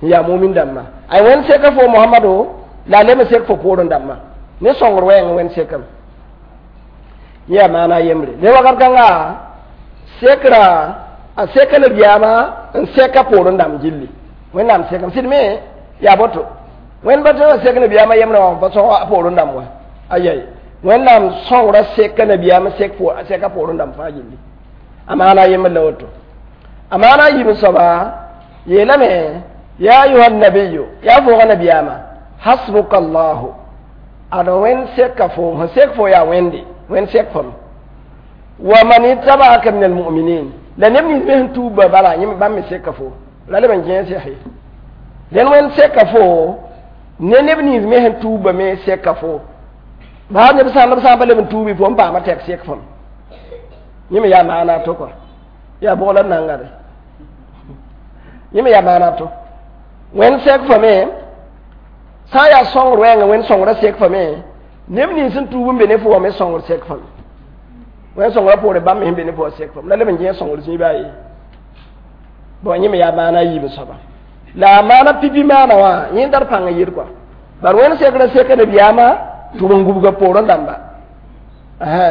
n yaa mumin dãmbã. Ay, Wẽnd seka fo Mohamado, la a leb n sek fo poorẽ dãmbã ne sõngr wɛɛng Wẽnd sekame. Yẽ yaa maana a yembre. Ne wakat kãnga sekra a seka nabiyaamã n seka poorẽ dãmb gilli, Wẽnnaam sekame sɩd me yaa boto. Wẽnd pa tõe n sek nabiyaamã yembrã wã pa sõg a poorẽ dãmb wã, ayai, Wẽnnaam sõngrã seka nabiyaamã seka poorẽ dãmb fãa gilli. A maana a yembr la woto. A maana a yiib soaba yeelame ya ayuha nabiyu, yaa foogã nabiyaamã, hasbuka allahu, ad Wẽnd seka fo, sẽn sek fo yaa Wẽnde, Wẽnd sek fam. Wa man ittaba'aka min almuminin, la neb nins me sẽn tuubã bala yẽ bãmb me seka fo, la leb n kẽes yaa. Dẽn Wẽnd seka fo ne neb nins me sẽn tuubã me seka fo, baa neb sã n pa leb n tuubi fo n paama tɛk sek fam. Yẽ me yaa maana to kɔa, yaa bʋg la nangade, yẽ me yaa maana to. Wẽnd sek fame sã n yaa sõngr wɛɛngã, Wẽnd sõngrã sek fame, neb nins sẽn tuub n be ne fo wã me sõngr sek fame, Wẽnd sõngrã poore bãmb me sẽn be ne fo wã sek fam, la leb n kẽes sõngr zĩiba ye. Bon, yẽ me yaa maana a yiib soaba. La a maana pipi maana wã yẽ tar pãng n yɩd kɔa, bar Wẽnd sekrã seka nabiyaamã tɩ b n gubga poorẽ dãmba,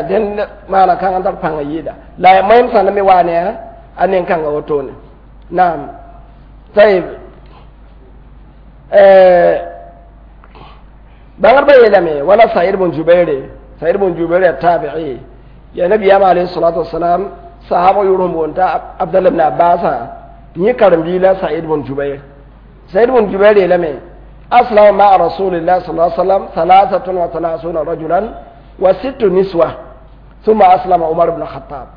dẽn maana kãng n tar pãng n yɩɩda, la ya moẽm sãnd me waa ne a nen-kãngã wotone. Naam, tayib. Bãngdbã yeelame wala Said bn Jubaire, Said bn Jubair ya tabi'i, ya nabiyaamã alayhi salatu wasalam sahaba yʋr sẽn boond t'a Abdallah ibn Abbasã yẽ karen-biig la Said bn Jubair. Said bn Jubair yeelame aslama ma'a rasulillah sallallahu alaihi wasallam 33 rajulan wa sittu niswa, ثم أسلم عمر بن الخطاب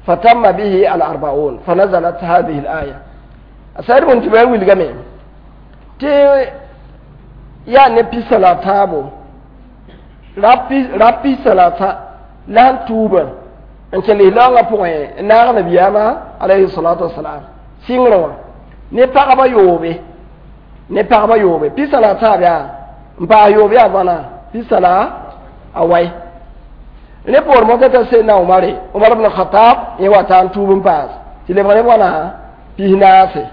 فتم به الأربعون فنزلت هذه الآية. سعيد بن جبير wilgame tɩ yaa ne pisa la taabo rap pisa la ta la sẽn tuubã n kẽ lislaoongã pʋgẽ n naag nabiyaamã alayhi salatu wasalam sɩngrẽ wã ne pagba yoobe, ne pagba yoobe, pisa la taab yaa n paas yoob yaa bãna pisa la a wai. Ne poor mosã t'a sẽnna Omare, Omar ibn Khattab, yẽ wa ta n tuub n paas tɩ lebg ne wãna 40,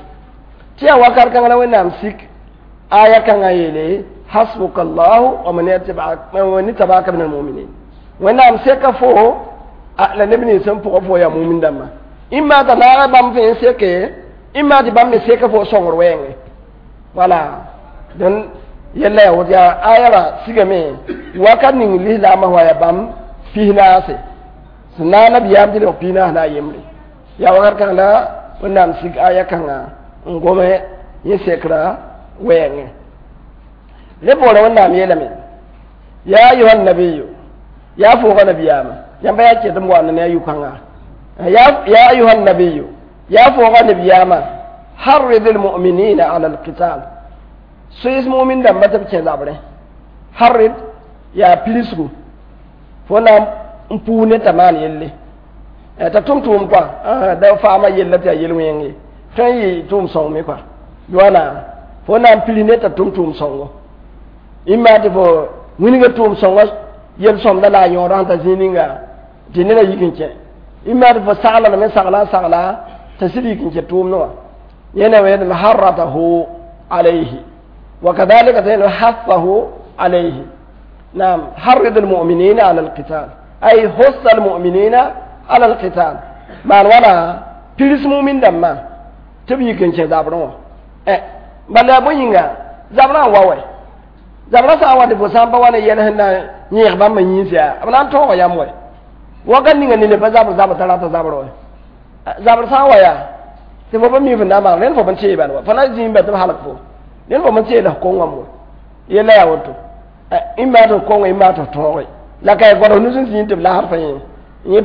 tɩ yaa wakat kãngã la Wẽnnaam sik aya kãngã yeele hasbuka allahu wa man ittaba'aka min almuminin. Wẽnnaam seka fo la neb nins sẽn pʋgã fo yaa mumin dãmbã, ĩmma t'a naaga bãmb fẽ n seke, ĩmma tɩ bãmb me seka fo sõngr wɛɛngẽ. Wala dẽn yella yaa woto, yaa aya ra sigame wakat ning lislaamã wa yaa bãmb 40 sẽn naag nabiyaam tɩ lebg 40 la a yembre. Yaa wakat kãng la Wẽnnaam sig aya kãngã n gome yẽ sekra wɛɛngẽ. Ne poorẽ Wẽnnaam yeelame ya ayuha nabiyu, yaa foogã nabiyaamã, yãmba yaa ket n waanda ne a yʋ-kãngã, ya ayuha nabiyu, yaa foogã nabiyaamã, harrid almuminina ala alqital, soees mumin dãmba tɩ b kẽ zabrẽ. Harrid yaa pirsgu, fo na n puu ne t'a maan yelle t'a tʋm tʋʋm kɔa da faama yella tɩ yaa yel-wẽng ye, tõe n yɩ tʋʋm sõng me kɔa yoana, fo na n piri ne t'a tʋm tʋʋm sõngo, ĩmma tɩ fo wilga tʋʋm sõngã yel-sõmda la a yõodã sẽn ta zĩig ninga tɩ neda yik n kẽ, ĩmma tɩ fo sagla lame sagla n sagla t'a sɩd yik n kẽ tʋʋmdẽ wã. Yẽna wẽedm harratahu alayhi wa kadhalika t'a hathahu alayhi. Naam, harrid almu'minina ala alqital, ay hussa almu'minina ala alqital, maan wala pirs mumin dãmbã tɩ b yik n kẽ zabrẽ wã. Bala bõe yĩnga zabrã n wa wɛ Zabra sã n wa tɩ fo sã n pa wa ne yɛl sẽn na yẽeg bãmb yĩns yaa b na n tõoga yãmb wɛ wakat ninga ne pa zabr zabr t'a rata zabr wɛ zabr sã n wa yaa tɩ fo pa mi fo na n maan rẽnd fo b tee bal wa fo na zĩig ba tɩ b halg fo rẽnd fo b tee la f kongame wa yella yaa woto ĩ maa tɩ f konge ĩ maa tɩ f tõoge la ka y gõd nus n zĩig tɩ b lasd fa yẽ yẽ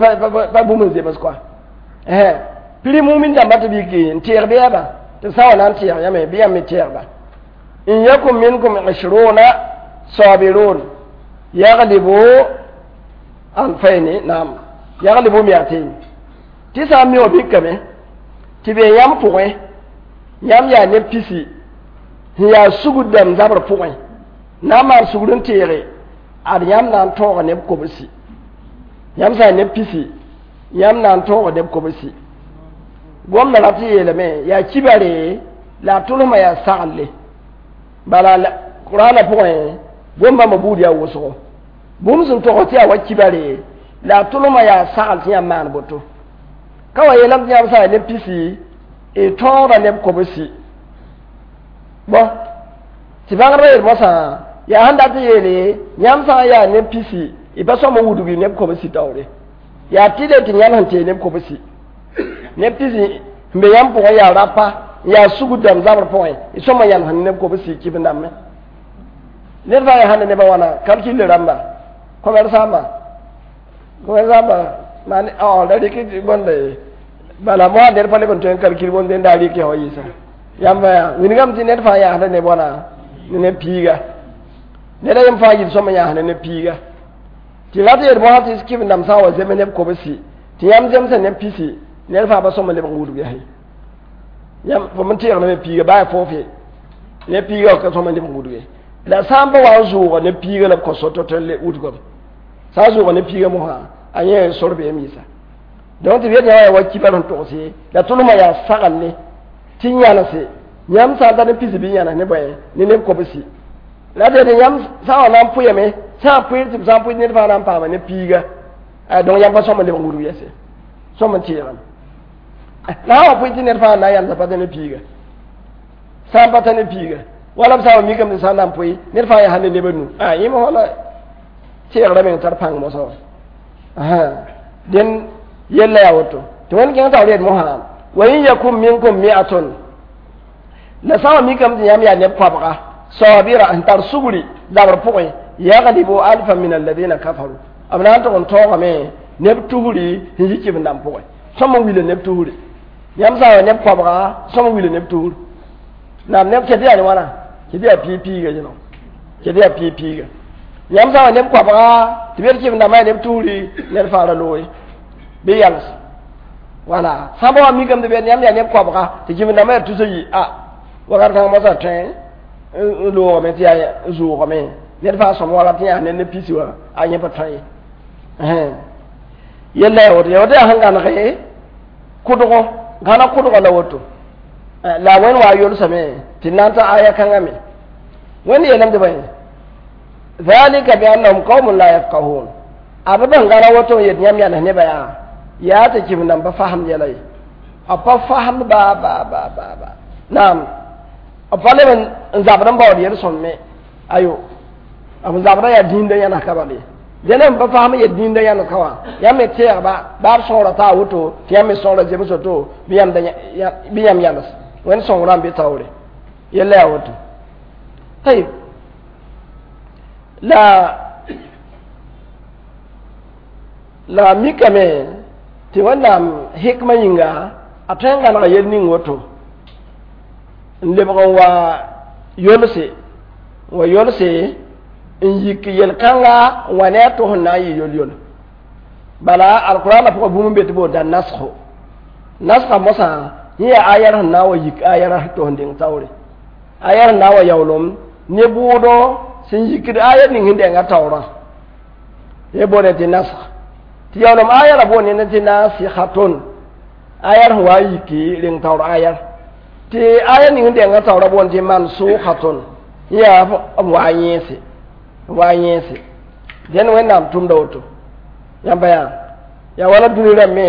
pa bũmb n zems kɔa piri mumin dãmba tɩ b yik n teeg bɩ tɩ sã wa na n teeg yãme bɩ yãmb me teegba in yakun minkum ishruna sabirun yaglibu alfaini naam yaglibu miatain tɩ sã n mi wã bikame tɩ be yãmb pʋgẽ yãmb yaa neb pisi sẽn yaa sugr dãmb zabr pʋgẽ na n maan sugr n teege ad yãmb na n tõoga neb kobsi yãmb sã n neb pisi yãmb na n tõoga neb kobsi gomda rat n yeelame yaa kibare la a tʋlsmã yaa saglle bala qur'ana pʋgẽ gom-bãmbã buud yaa wʋsgo bũmb sẽn tog tɩ yaa wa kibare la a tʋlsmã yaa sagl tɩ yãmb maan boto ka wa yeelame tɩ yãmb sã n neb pisi y tõogda neb kobsi bõ tɩ bãngdbã yel mosã yaa sẽn dat n yeele yãmb sã n yaa neb pisi y pa sõm n wudg neb kobsi taoore yaa tɩ le tɩ yãmb sẽn tee neb kobsi neb pisi n be yãmb pʋgẽ yaa rapa n yaa sugr dãmb zabr pʋgẽ y sõm n yãls neb kobsi kɩb n dãmbẽ ned fãa yaa sãn ne nebã wãna kalkil rãmba commerçant maan da rɩk bõnda ye bala moa ned pa leb n tõe n kalkil bõnd n daa rɩk wa yɩɩsa yãmba yaa wilgame tɩ ned fãa yaasda neb wãna ne neb piiga ned a yem fãa yɩl sõm n yaasda neb piiga tɩ rat yel mosã tɩ kɩb n dãmb sã n wa zeme neb kobsi tɩ yãmb zemsa neb pisi ned fãa pa sõm n leb n wudg yaa yãmb fo n teegdame ne piiga baa foofe neb piiga ka sõm n leb n wudge la sã n pa wa n zʋʋga ne piiga la b kõ so-to tɩ le wudgame sã n zʋʋga ne piiga mosã a yẽ sor beem yɩsa donc tɩ b yet yã yaa wa kibar sẽn togse la tʋlmã yaa saglne tɩ yãnese yãmb sã n tar ne pisi bɩ yãnes ne bõe ne neb kobsi la tɩ yãmb sã n wa na n pʋyame sã n pʋɩr tɩ b sã n pʋɩ ned fãa na n paama ne piiga donc yãmb pa sõm n leb n wudg yɛse sõm n teegame la sã n wa pʋɩ tɩ ned fãa na n yãnesa pa tã ne piiga sã n pa tã ne piiga wala b sã n wa mikame tɩ sã n na n pʋɩ ned fãa yaa sã ne neb nu yẽ mosã la teegrã meng tar pãng mosã wa dẽn yella yaa woto tɩ wẽnd kẽng taoor yet mosã wa in yakun minkum mi'atun la sã n wa mikame tɩ yãmb yaa neb koabga sabira n tar sugri zabr pʋgẽ yaglibu alfa min alladina kafaru b na n tʋg n tõogame neb tusri sẽn yi kɩb n dãmb pʋgẽ sõm n wila neb tusri yãmb sã n wa neb koabga sõm n wila neb tusr naam neb ket yaa ne wãna ket yaa piig piiga zẽno ket yaa piig piiga yãmb sã n wa neb koabga tɩ b yet kɩb n dãmbã yaa neb tusri ned fãa ra looge bɩ yals wala sã n pa wa mikame tɩ b yet yãmb yaa neb koabga tɩ kɩb n dãmbã yaa tus a yi a wakat kãng mosã tõe n loogame tɩ yaa zʋʋgame ned fãa sõm wala tɩ yaa ned ne pisi wã a yẽ pa tõe ye yella yaa woto yaa woto yaa sẽn gãnege kʋdgo gãna kʋdgo la woto la wẽnd wa yolsame tɩ na n ta aya kãngã me wẽnd yeelame tɩ bõe dhalika biannahum qaumun la yafqahun a b sẽn gãna woto n yet yãmb yãnes nebã yaa yaa tɩ kɩb n pa fasem yɛla ye a pa fasem ba ba ba ba ba naam b pa leb n zabd n baood yel-sõmme ayo b zabda yaa dĩndã yãnes ka bale dẽn n pa fasem yet dĩndã yãnes ka wã yãmb me teegba baa b sõora taa woto tɩ yãmb me sõora zems woto bɩ yãmb yãnes wẽnd sõngrã n be taoore yella yaa woto tayib la mikame tɩ wẽnnaam hikmã yĩnga a tõe n gãnega yel ning woto n lebg n wa yolse n yik yel-kãnga n wa ne a to sẽn na n yɩ yol-yol bala alqur'ana pʋgã bũmb n be tɩ boonda nasgo nasga mosã yẽ yaa ayar sẽn na n wa yik ayar to sẽn deng taoore ayar sẽn na n wa yaoolem ne bʋʋdo sẽn yikd ayar ning sẽn denga taoorã yẽ boonde tɩ nasg tɩ yaoolem ayarã boonde tɩ nasihatun ayar sẽn wa n yiki reng taoor ayar tɩ aya ning sẽn denga taoorã boond tɩ mansukhatun yẽ yaa b wa n yẽese wa n yẽese dẽn wẽnnaam tʋmda woto yãmba yaa yaa wala dũni rãmb me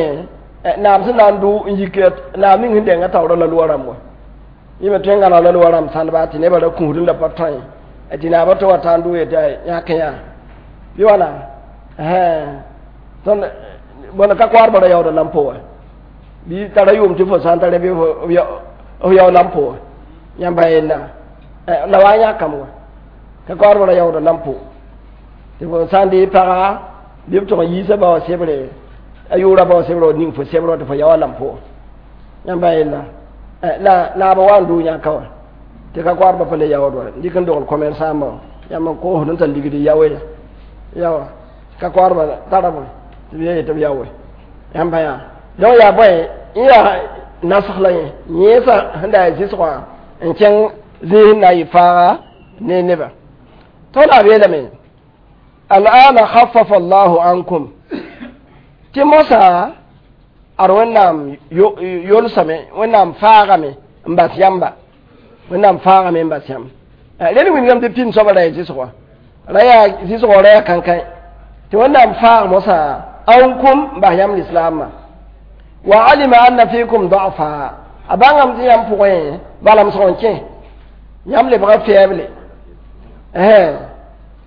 naam sẽn na n dʋ n yik naam ning sẽn denga taoorã la loa rãmb wa yẽ me tõe n gãneg la loa rãmb sãndba tɩ nebã ra kũusd la pa tõe Tɩ naaba tɩ wa tã n dʋ yetɩ yãk yã bɩ wãna tõnd bõn ka koaadbã ra yaooda lampo wã bɩ tara yʋʋm tɩ fo sã n tara bɩ f yao lampo wã yãmba yella la wa n yãkame wã ka koaadbã ra yaooda lampo tɩ fo sã n dee paga bɩ b tʋg n yiisa ba wã sebre a yʋʋra ba wã sebrã ning fo sebrã tɩ fo yao a lampo wã yãmba yella la naaba wa n dʋʋ yãka wã tɩ ka koaadbã pa le yaood wa dɩk n dogl commerçant yãmb n koosd n tar ligd yaoe yawa ka koaadbã tara bõe tɩ b ye tɩ b yaoe yãmba yaa donc yaa bõe n yaa nasg la yẽ yẽesã sẽn da yaa zɩsgã n kẽng zĩis n na n yɩ faaga ne nebã tõnd a beelame al'ana khaffafa allahu ankum tɩ mosã ad wẽnnaam yolsame wẽnnaam faagame n bas yãmba wẽnnaam faagame n bas yãmb rẽnd wilgame tɩ pĩnd soaba ra yaa zɩsgã ra yaa zɩsgã ra yaa kãnkãe tɩ wẽnnaam faag mosã ankum n bas yãmb lislaamã wa alima anna fikum da'fa a bãngame tɩ yãmb pʋgẽ balamsg n kẽ yãmb lebga faible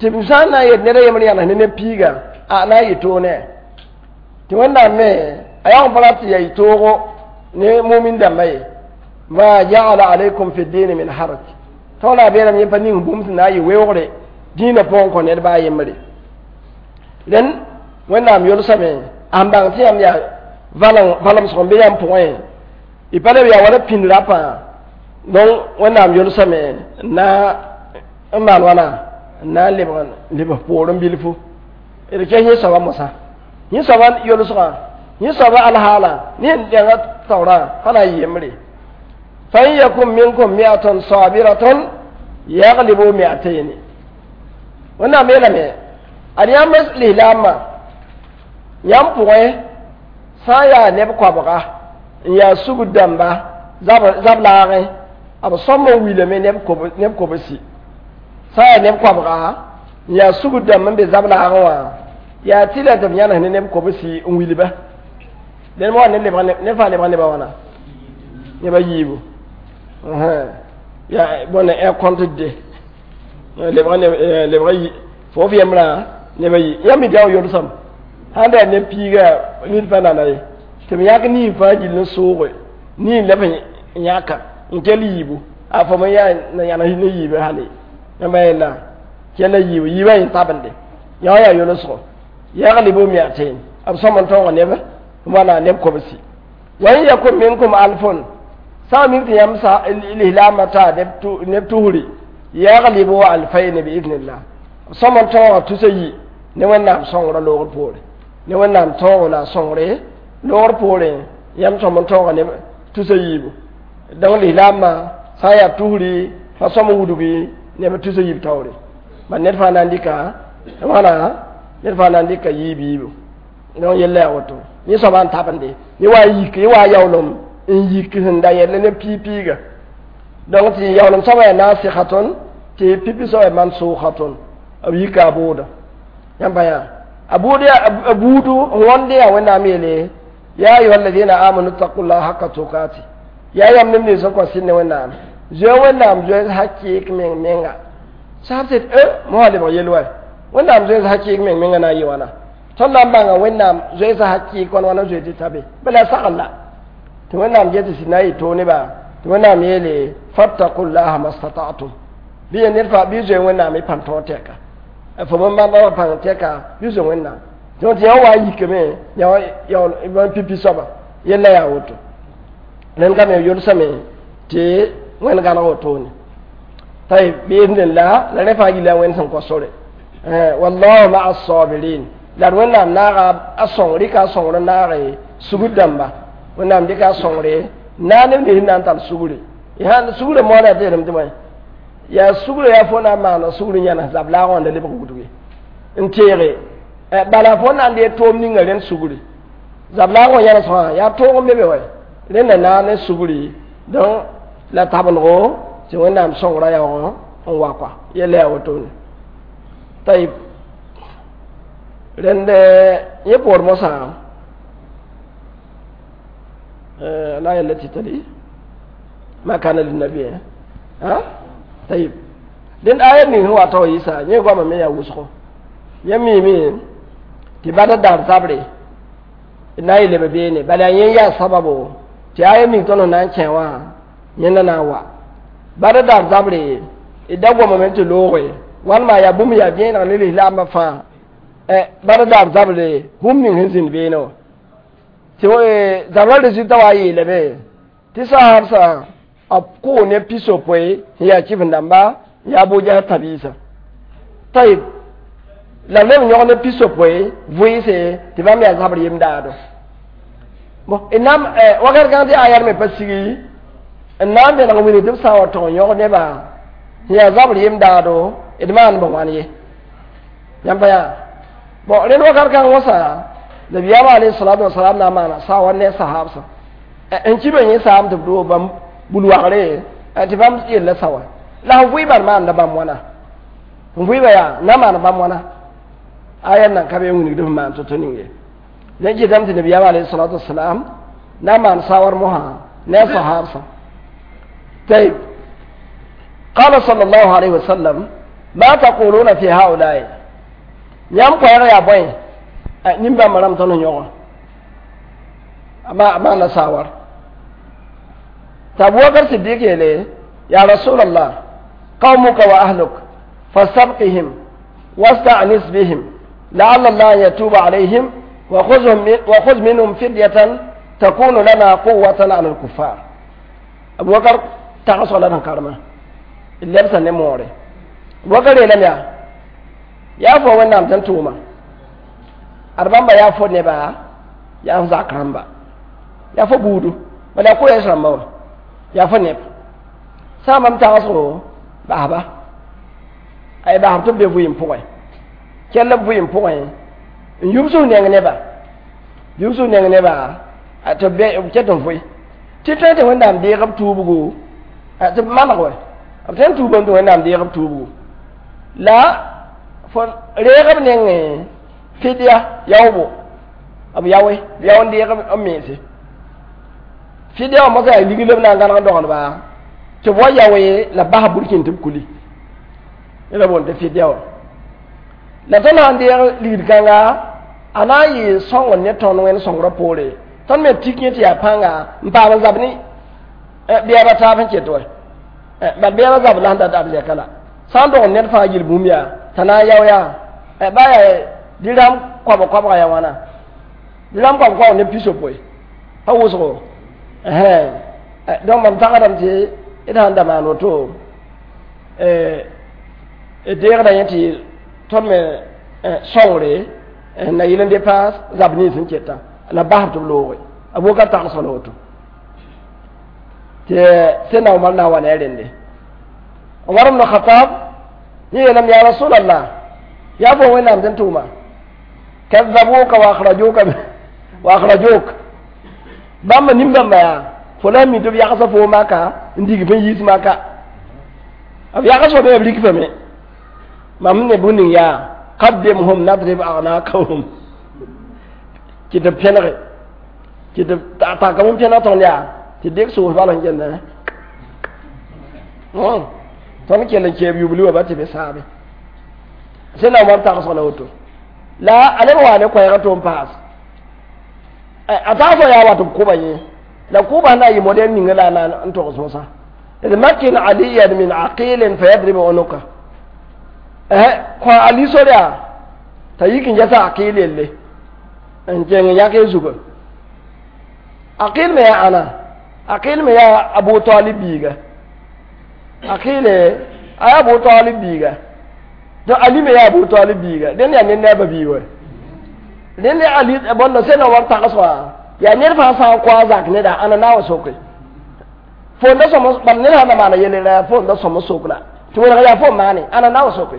tɩ b sã n na n yet ned a yembr yãnes ne neb piiga a na n yɩ toog ne tɩ wẽnnaam me a yag n pa rat tɩ yaa yɩ toogo ne mumin dãmba ye ma ja'ala alaykum fi dini min haraj tõog la a beelame yẽ pa ning bũmb sẽn na n yɩ weoogre dĩinã pʋgẽ kõ ned baa a yembre rẽnd wẽnnaam yolsame a sẽn bãng tɩ yãmb yaa valemsg n be yãmb pʋgẽ y pa leb yaa wala pĩnd rapã donc wẽnnaam yolsame n na n maan wãna n na n lebg poorẽ bilfu d kes yẽ soaba mosã yẽ soaba yolsgã yẽ soaba alhaala ne n dẽnga taoorã pa na n yɩ yembre fa in yakun minkum mi'atun sabiratun yaglibu mi'atayn wẽnnaam yeelame ad yãmb lislaamã yãmb pʋgẽ sã n yaa neb koabga n yaa sugr dãmba zab laagẽ b sõm n wilame neb kobsi sã n yaa neb koabga n yaa sugr dãmb n be zab laagẽ wã yaa tɩ la tɩ b yãnes ne neb kobsi n wilba dẽn wa ne fãa lebga nebã wãna neba yiibu yaa bõne un compte de lebga lebga fo f yembrã neba yi yãmb mi dao yolsame sãn da neb piiga nid pa nana ye tɩ b yãk nin fãa gill n sooge nin la b yãka n kell yiibu a fo me yaa na yãnes ne yiibã hale yãmba yella kella yiibu yiibã yẽ tabende yã wã yaa yolsgo yaglibu mi'atayn b sõm n tõog neb wãna neb kobsi wa in yakun minkum alfun sã n mik tɩ yãmb lislaamã taa neb tusri yaglibu alfayn biiznillah b sõm n tõoga tusa yi ne wẽnnaam sõngrã loogr poore ne wẽnnaam tõogo la a sõngre loogr poorẽ yãmb sõm n tõoga neb tusa yiibu donc lislaamã sã n yaa tusri pa sõm n wudgi neb tusa yiib taoore bal ned fãa na n dɩka wãna ned fãa na n dɩka yiib yiibu donc yella yaa woto yẽ soaba n tabende yẽ wa yik yẽ wa yaoolem n yik sẽn da yɛl ne piig-piiga donc tɩ yaoolem soaba yaa nasikhatun tɩ pipi soaba yaa mansukhatun b yika a bʋʋda yãmba yaa a buud a buudu wõnde yaa wẽnnaam yeele ya ayuha alladina amanu taqullaha haqqa tukati yaa yãmb neb nins n kõ sɩd ne wẽnnaam zoe wẽnnaam zoees hakɩɩk meng menga sab tɩ e mosã lebg yel wa wẽnnaam zoees hakɩɩk meng menga na n yɩ wãna tõnd na n bãnga wẽnnaam zoeesã hakɩɩk wãn wãna zoe tɩ ta be bala sagl la tɩ wẽnnaam get tɩ na n yɩ toog nebã tɩ wẽnnaam yeele fattaqullaha mastata'tum bɩ ya ned fãa bɩ zoe wẽnnaam y pãn tõog tɛka fo bõn bãmba pãng tɛka bɩ zoe wẽnnaam donc tɩ yã wa n yikame yã pipi soaba yella yaa woto rẽnd ka me yolsame tɩ wẽnd gãneg wotone tayb biiznillah la rẽ fãa gilla wẽnd sẽn kõ sore wallahu maa sabirin la d wẽnnaam naaga a sõng rɩka a sõngr n naage sugr dãmba wẽnnaam dɩka a sõngre naag neb nins na n tar sugre sugre moada tɩ yeelame tɩ bõe yaa sugre yaa fo na n maana sugr yãnes zab laagã wã da lebg wudge n teege bala fo na n dee toom ninga rẽnd sugri zab laagã wã yãnes wã yaa toog n be be wa rẽnda naag ne sugri donc la tabendgo tɩ wẽnnaam sõngrã yaoogã n wa kɔa yella yaa wotone tayib rẽnd yẽ poor mosã la التي تلي ما كان للنبي ها طيب Dẽnd aya ning sẽn wa tao yɩsa yẽ goamã me yaa wʋsgo. Yẽ miime tɩ bada dar zabre na n leb beene, bala yaa yẽ yaa sababo tɩ aya ning tõnd sẽn na n kẽ wã yẽnda na n wa. Bada dar zabre d da gomame tɩ looge wãnema yaa bũmb yaa vẽeneg ne lislaambã fãa. Bada dar zabre bũmb ning sẽn zĩnd beene wã tɩ zabrã résultat wa yeelame tɩ sahabsã b kʋʋ ne pisopoe sẽn yaa kɩf-dãmba yaa Abu Jahl tãbiisã. Tayib la b leb yõg ne pisopoe vʋɩɩse tɩ bãmb yaa zabr yem daado. Bon, d na wakat kãng tɩ aya me pa sigi n na n vẽneg n wilg tɩ b sã n wa tog n yõg nebã sẽn yaa zabr yem daado d maan b wãn ye. Yãmb pa yaa bon rẽnd wakat kãng wãsã nabiyaamã alayhi salatu wasalam na n maana sawa ne sahabsã n kibã yẽ saam tɩ b doog bãmb bul-wagre tɩ bãmb yella sawa la f vʋɩ bal maanda bãmb wãna n vʋɩba yaa na maan bãmb wãna aya nan ka be n wilgd f maan to-to ning ye. Dẽn kɩtame tɩ nabiyaamã alayhi salatu wasalam na n maan sawar mosã ne a sahabsã. طيب قال صلى الله عليه وسلم ما تقولون في هؤلاء yãmb koɛɛg yaa bõe nin-bãmba rãmb tõnd yõga a maana sawar t'a Abubakar Siddiq yeele ya rasulallah قومك وأهلك فاستبقهم واستأنس بهم لعل الله يتوب عليهم وخذ منهم فدية تكون لنا قوة على الكفار. أبو بكر تغسل لنا كرمه اللي بس نموري أبو بكر يلم يا يا فو وين نام تنتوما أربعة يا فو نبا يا زاكرامبا يا فو بودو ولا كو يسرمبا يا فو نب سامم تغسلو basba ay basb tɩ b be vʋɩɩm pʋgẽ kell b vʋɩɩm pʋgẽ n yubs f neng neba yubs f neng neba tɩ b ket n vʋɩ tɩ tõe tɩ Wẽnnaam deeg b tuubgo tɩ b maneg wɛ b tõe n tuubame tɩ Wẽnnaam deeg b tuubgo la fo reeg b nengẽ fidya yaoobo b yaoe b yao n deeg b mense fidya wã mosã yaa ligl b na n gãneg doglba tɩ b wa yaoe la bas burkĩn tɩ b kuli la boond tɩ fidya wã la tõnd sãn deeg ligd kãnga a na n yɩ sõngr ne tõnd wẽnd sõngrã poore tõnd me tik yẽ tɩ yaa pãnga n paam n zab ne beɛbã taab sẽn ket wɛ bal beɛbã zab la sẽn dat arzɛka la sã n dog ned fãa yel bũmb yaa t'a na n yao yaa ba yaa dirham koabg koabga yaa wãna dirham koabg koabg ne pisopoe pa wʋsgo donc mam tagsdame tɩ d sãn da maan woto d deegda yẽ tɩ tõnd me sõngre na yɩl n depaas zab nins sẽn keta la basb tɩ b looge Abubakar tagsg la woto tɩ sẽdna Omar na n wa ne a rende Omar ibn Khattab yẽ yeelame ya rasulallah yaa fo Wẽnnaam sẽn tʋʋma kazzabuka wa akhrajuka wa akhrajuk bãmba nin-bãmba yaa fo la mi tɩ b yagsa fo maka n dig fẽn yiis maka b yags fo be b rik fame mam ne bũmb ning yaa qaddimhum nadrib aghnaqahum tɩ tɩ pẽnege tɩ tɩ taka bũmb pẽneg tõnd yaa tɩ dɩk soos bal sẽn kenda tõnd kell n keeb yubli wã ba tɩ be saabe sẽn na Omar tagsg la woto la a leb wa ne koɛɛg tʋ n paas a tagsg yaa wa tɩ b kʋba yẽ la kʋba na yɩ modɛl ninga la na n togs mosã d makin aliyan min aqilin fayadribu unuka kõ Ali sor yaa t'a yik n ges a Aqil yelle n kẽng n yãk y zuga Aqil me yaa ãna Aqil me yaa Abu Talib biiga Aqil a yaa Abu Talib biiga donc Ali me yaa Abu Talib biiga dẽnd yaa ned ne a ba biig wa dẽnd yaa Ali bõnda sẽn na war tags wã yaa ned fãa sã n kõ a zak neda ãna na wa soke fo n da sõm bala ned sã n da maana yel ra fo n da sõm sok la tɩ wẽneg yaa fo n maane ãna na wa soke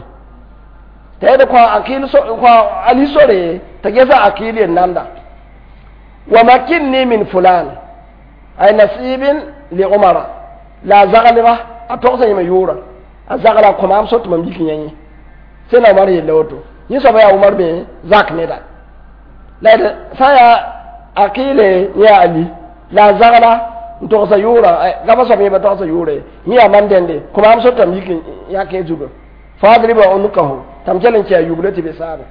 t'a yed kõ Akil kõ Ali sore t'a gesa Akil yel nanda wa makinni min fulan ay nasibin li Umara la a zaglba a togsã yẽme yʋʋra a zagla kõ maam so tɩ mam yik yẽ sẽn Umar yella woto yẽ soaba yaa Umar me zak neda la d sã n yaa Akile yã Ali la a zagla N togsa yʋʋra gaba soab yẽ pa togsa yʋʋre yẽ yaa mam dẽnde kõ maam so tɩ m yik n yãk yẽ zugu fadriba unukahu tɩ m kell n kɛ a yubla tɩ be saabe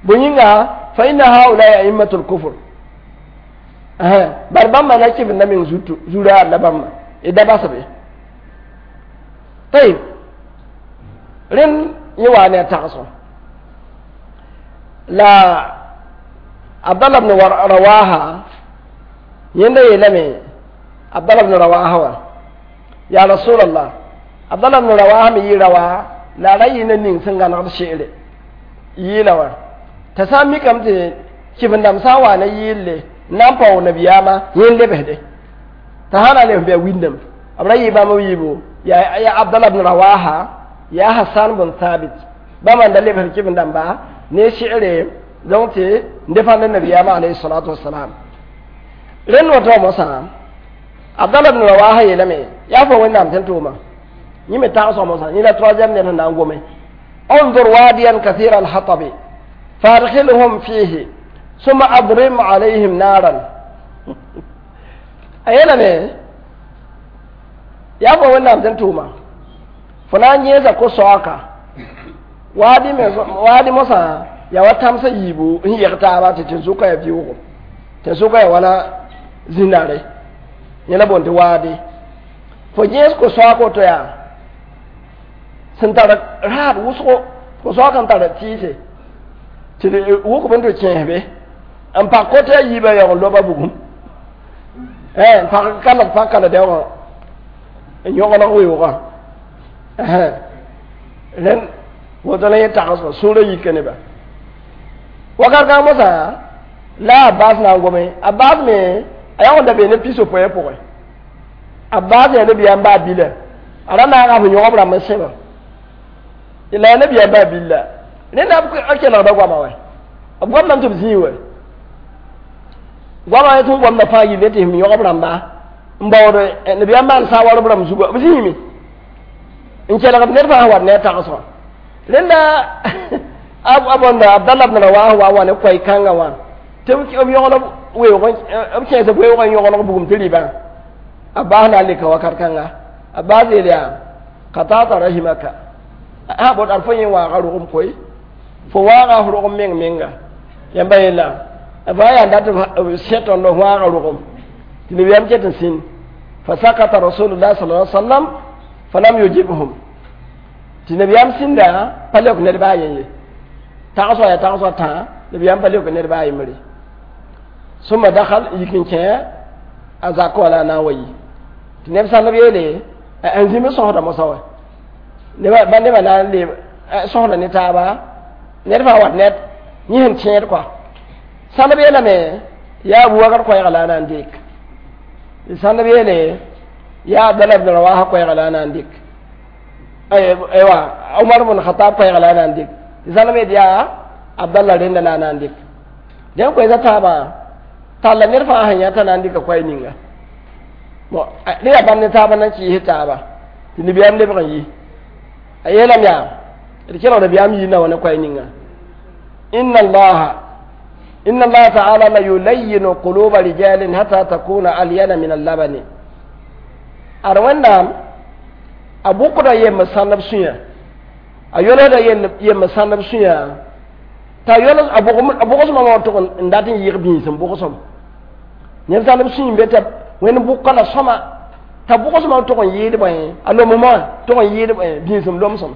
bõe yĩnga fa inna haulai aimmatul kufr bar bãmba na kɩvenda meng zuraar la bãmba d da basbe tayib rẽnd yẽ waa ne a tagsgo la Abdallah ibn Rawaha yẽnda yeelame Abdallah ibn Rawaha wã ya Rasulallah Abdallah ibn Rawaha me yɩ rawa la a ra yɩ ne ning sẽn gãnegd se're yɩɩla wã t'a sã n mikame tɩ kɩvendãmb sã n wa ne yɩɩlle n na n paoog nabiyaamã yẽ n lebsde t'a sã na n lebs bɩ a windame b ra yɩ bãmb b yiibu ya Abdallah ibn Rawaha ya Hassan bn Thabit bãmba n da lebsd kɩvendãmba ne se're donc tɩ n defãnd nabiyaamã alayhi salatu wasalam rẽnd woto mosã Abdallah ibn Rawaha yeelame yaa fo wẽnnaam sẽn tʋʋma yẽ me tagsg mosã yẽ la troisième ned sẽn na n gome انظر واديا كثير الحطب فادخلهم فيه ثم أضرم عليهم نارا a yeelame yaa fo wẽnnaam sẽn tʋʋma fo na n yẽesa ko-soaaka waadi mosã yaa wa tãmsã yiibu n yɛg taaba tɩ tẽn-sʋka yaa vɩʋʋgo tẽn-sʋka yaa wala zĩnare yẽ la boond tɩ waadi fo yẽes ko-soaak woto yaa sẽn tar raad wʋsgo ko-soaak n tar tɩɩse tɩ d wʋkb n tɩ kẽesbe n pak kote a yiibã yaoog n loba bugum n pak kalg pa kala daoogã n yõgeneg weoogã rẽnd woto la yẽ tagsgã sũurã yika neba wakat kãng mosã la Abbas na n gome Abbas me a yaoog n da bee ne piso-poɛ pʋgẽ Abbas yaa nabiyaam baa bila a ra naaga f yõgb rãmb n sẽba la yaa nabiyaam baa billa rẽnda b kelgda goama wɛ b goamdame tɩ b zĩig wɛ goama tɩ goamda fãa yille tɩ m yõgb rãmba n baood nabiyaam maan saa warb rãmb zuga b zĩime n kelgd ned fãa wat ne a tagsgã rẽnda a bõnda Abdallah ibn Rawaha wa ne koɛɛ kãngã wã tɩ b yõgenb weoog b kẽes b weoog n yõgeneg bugum tɩ rɩbã Abbas na n leka wakat kãnga Abbas yeel yaa qatata rahimaka a bõd ad fo yẽ waaga rogem koe fo waaga f rogem meng menga yãmba yeela b yaa n dat b sẽ tõnd f waaga rogem tɩ nabiyaam ket n sĩnd fa sakata rasulullah sallallahu alaihi wasallam falam yujibhum tɩ nabiyaam sĩnda pa leok ned baa yen ye tagsga yaa tagsga tãa nabiyaam pa leok ned baa yembre sũma dakal yik n kẽ a zakã wã la a na n wa yi tɩ neb sãnd b yeele n zĩm sõsda mosã wã ba nebã na n le sõsda ne taaba ned fãa wat ned yẽ sẽn tẽed kɔa sãnd b yeelame yaa Abubakar koɛɛga la a na n dɩk sãnd b yeele yaa Abdallah ibn Rawaha koɛɛga la a na n dɩk aywa Umar ibn Khattab koɛɛga la a na n dɩk sãnd b yeel yaa Abdallah rẽnda la a na n dɩk dẽn koɛɛsa taabã talla ned fãa sẽn yã t'a na n dɩka koɛɛ ninga bon ne yaa bãmb ne taabã na n kɩɩs taaba tɩ nabiyaam lebg n yi a yeelame yaa d kelg nabiyaam yiinda wã ne koɛɛ ninga inna allaha ta'ala la yulayyinu quluba rijalin hatta takuna alyana min allabani ad wẽnnaam a bʋkda yemb sãndb sũyã a yolsda yemb sãndb sũyã t'a yols a bʋgsmã wã tʋg n dat n yɩg bĩisem bʋgsem neb sãndb sũy n be t'a wẽnd bʋka la sõma t'a bʋgsmã tʋg n yɩɩd bõe a lomsmã tʋg n yɩɩd bĩisem lomsem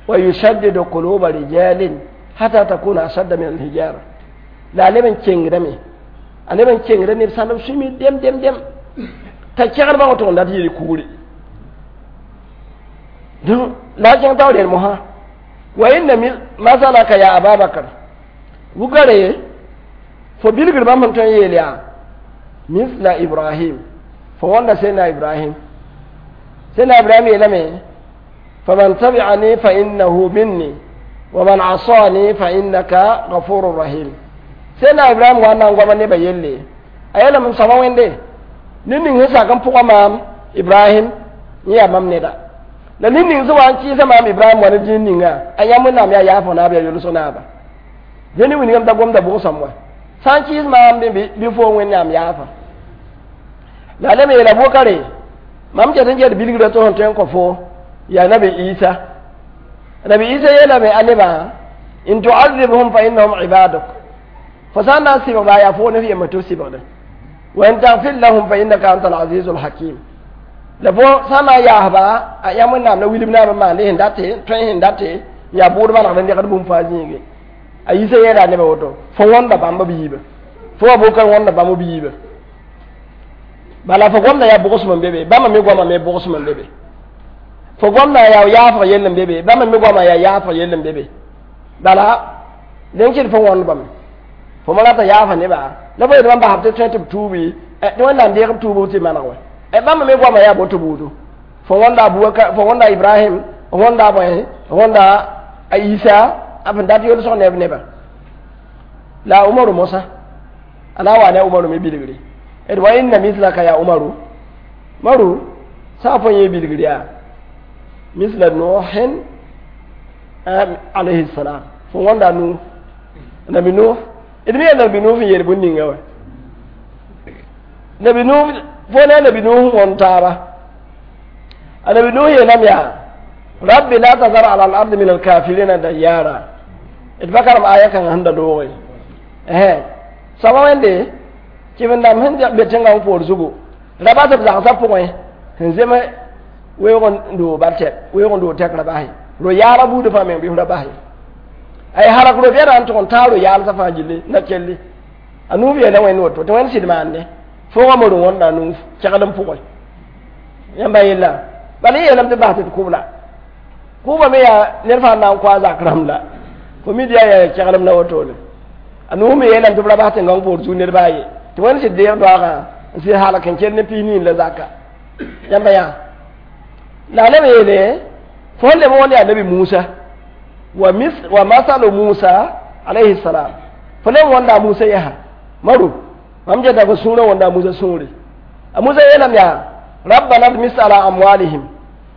wa yushaddidu quluba rijalin hatta takuna ashadda min alhijara la a leb n kengdame a leb n kengda neb sãndb sũyme dem dem dem t'a kẽgdbã wã tʋg n dat yɩɩd kugre donc la a kẽng tao rel mosã wa inna masalaka ya Ababakar wugare fo bilgr bãmb sẽn tõe n yeel yaa misla Ibrahim fo wãnda sẽnna Ibrahim sẽnna Ibrahim yeelame faman tabi'ani fa innahu minni wa man asani fa innaka ghafurur rahim sẽnna Ibrahim wa na n goama nebã yelle a yeelame m soaba wẽnde ned ning sẽn sak n pʋga maam Ibrahim yẽ yaa mam neda la ned ning sẽn wa n kɩɩsa maam Ibrahim wa ne dĩin ninga a yãmb wẽnnaam yaa yaafõ naab yaa yolsg naaba dẽnd wilgame t'a gomda bʋgsãm wa sã n kɩɩs maam bɩ fo wẽnnaam yaafa La lame yeela Bʋkare mam ket n ket bilgrã tɩ sẽn tõe n kõ fo yaa Nabi Isa. Nabi Isa yeelame a nebã in tu'adhibhum fa innahum ibaduk, fo sã n na n sɩbgba yaa fo ne f yembr tɩ f sɩbgde, wa in taghfir lahum fa innaka anta al-azizul hakim. La fo sã n na n yaasba a yã Wẽnnaam la wilb naam n maande sẽn date tõe sẽn date yaa bʋʋd manegd n degd bũmb fãa zĩige. A Yisa yeela a nebã woto fo wõnda bãmb b yiibã, fo wa Bʋkar wõnda bãmb b yiibã, bala fo gomda yaa bʋgsem n be be, bãmba me goama me bʋgsem n be be, fo gomda yaa yaafg yell n be be, bãmba me goama yaa yaafg yell n be be. Bala dẽn kɩd fo wõnd bame fo ma rata yaafa nebã la fo yet bãmb basb tɩ tõe tɩ b tuubi tɩ Wẽnnaam deeg b tuubg tɩ maneg wɛ. Bãmba me goama yaa boto buudu, fo wõnda Abubakar, fo wõnda Ibrahim, fo wõnda bõe, fo wõnda a Isa a fẽn dat yolsg neb nebã. La Umaru mosã a na n wa ne a Umaru me bilgre d wa inna mislaka ya Umaru maru sã fo yẽ bilgr yaa misla Nuhin alayhi salam, fo wõnda Nuh, Nabi Nuh. D mi yaa Nabi Nuh n yeel bũn ninga wa Nabi Nuh fo ne Nabi Nuh wõnd taaba. A Nabi Nuh yeelame yaa rabbi la tazar ala al-ardi min al-kafirina dayyara. D pa karem aya kãngã sẽn da dooge soaba wẽnde kɩbendãmb sẽn be tẽngã poor zugu ra bas b zagsã pʋgẽ sẽn zem weoog n doog ba tɛk weoog n doog tɛk ra base ro-yaala buudã fãa meng bɩ ra base ay halak ro-bɛda n tʋg n taa ro-yaalsã fãa gilli na kelli. A nuuf yeela Wẽnd woto tɩ Wẽnd sɩd maande foogã mor n wõnda a nuuf kɛgd n pʋgẽ yãmba yella bala y yeelame tɩ bas tɩ d kʋb la kʋʋba me yaa ned fãa na n kõ a zak rãmb la fo mi yaa yaa kɛglem la wotone. A nuuf me yeelame tɩ b ra bas tẽngãng poor zug ned baa ye tɩ Wẽnd sɩd deeg doaagã n sɩd halak n kell ne piis niin la zaka yãmba yaa. La a leb yeele fo sẽn leb wõnd yaa Nabi Musa wa mis wa masalu Musa alayhi salam, fo leb wõnda a Musa yɛsa maru mam geta fo sũurã wõnda a Musa sũure. A Musa yeelame yaa rabbana dmis ala amwalihim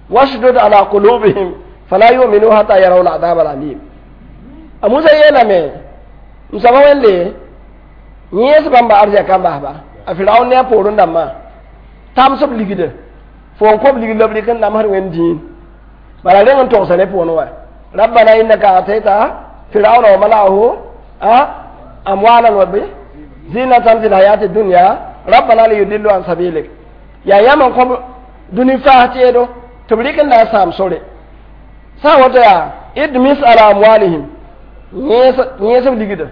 washdud ala qulubihim fala yu'minu hatta yaraw al'adab al'alim. A Musa yeelame m soaba Wẽnde yẽes bãmba arzɛka n basba a Firaun ne a poorẽ dãmbã tams b ligda fo n kõb ligd la b rɩk n namsd Wẽnd dĩin bala reng n togsa ne pʋʋn wa rabbana innaka atayta firauna wa mala'ahu amwalan wa bi zinatan fil hayati dunya rabbana liyudillu an sabilik. Yaa yãmb n kõb dũni faas teedo tɩ b rɩk n na n sãam sore sã n woto yaa idmis ala amwalihim yẽes b ligda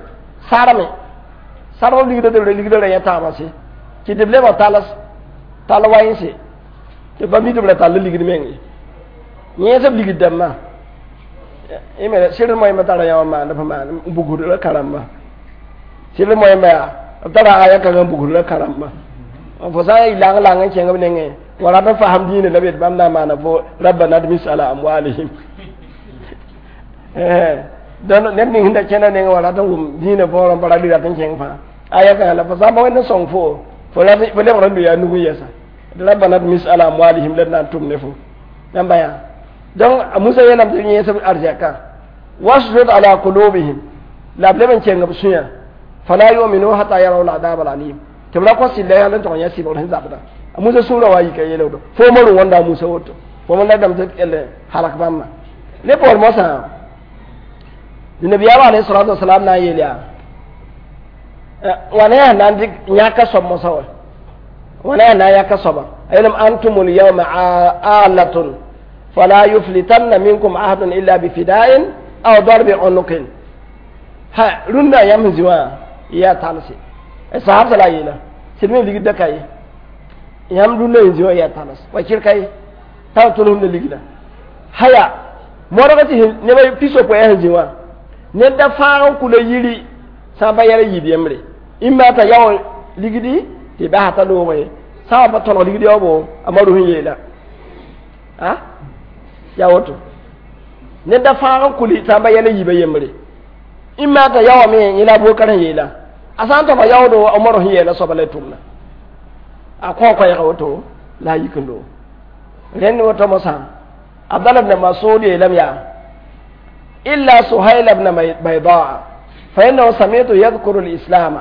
sarme sarm b ligda tɩ b ligda ra yẽ taabã se kɩ tɩ b lebg tals tall waẽnse tɩ ba mi tɩ b ra tall ligd meng ye yẽes b ligd dãmbã sɩd moẽmba tara yã wã maand f maan n bugd ra karamba sɩd moẽmba yaa b tara aya kãngã n bugd ra karamba fo sã n lang lang n kẽng b nengẽ wa rat n fasem dĩinã la bet bãmb na n maana fo rabbana dmis ala amwalihim. Donc ned ning sẽn da kẽna nengẽ wa rat n wʋm dĩinã võorẽ pa ra rat n kẽng fãa aya kãngã la fo sã n pa Wẽnd n sõng fo fo lebg n lʋ yaa nug n yɛsa rabbana dmis ala amwalihim la d na n tʋm ne fo yãmba yaa. Donc a Musa yeelame tɩ yẽes b arzɛkã wasdud ala qulubihim la b leb n kẽng b sũyã fala yu'minu hatta yaraw al'adab al'alim tɩ b ra kõ sɩlla yãl n tʋg n yã sɩbgr sẽn zabda. A Musa sũurã wa yika yeelgdo fo mor n wõnda a Musa woto fo me ladame tɩ kell halak bãmba ne poor mosã tɩ nabiyaamã alayhi salatu wasalam na n yeel yaa wãna yaa na n dɩk yãka soab mosã wa wãna yaa na n yãka soaba a yeelame antumul yawma alatun fala yuflitanna minkum ahadun illa bifida'in aw darbi unuqin ha rũndã yãmb sẽn zĩ wã yaa talse sahab la yeela sɩd me ligd ka ye yãmb rũndã sẽn zĩ wã yaa tals wa kɩr ka ye t'a tʋlsem la ligda haya modg tɩ neb pisopoe sẽn zĩ wã ned da fãag n kula yiri sã n pa yɛl yiib yembre ĩmba t'a yao ligdi tɩ basa t'a loogẽ sã n wa pa tõneg ligd yaoobo a maru sẽn yeela a yaa woto ned da fãag n kuli sã n pa yɛl yiibã yembre ĩmma t'a yaoame yẽ la a Abubakar sẽn yeela a sã n tõga yaoodo a Omar sẽn yeela soaba la y tʋmna a kõ koɛɛga woto la a yik n loog rẽnd woto mosã Abdallah ibn Mas'ud yeelame yaa illa Suhayl ibn Baydaa fa innahu sami'tu yadhkuru al-islam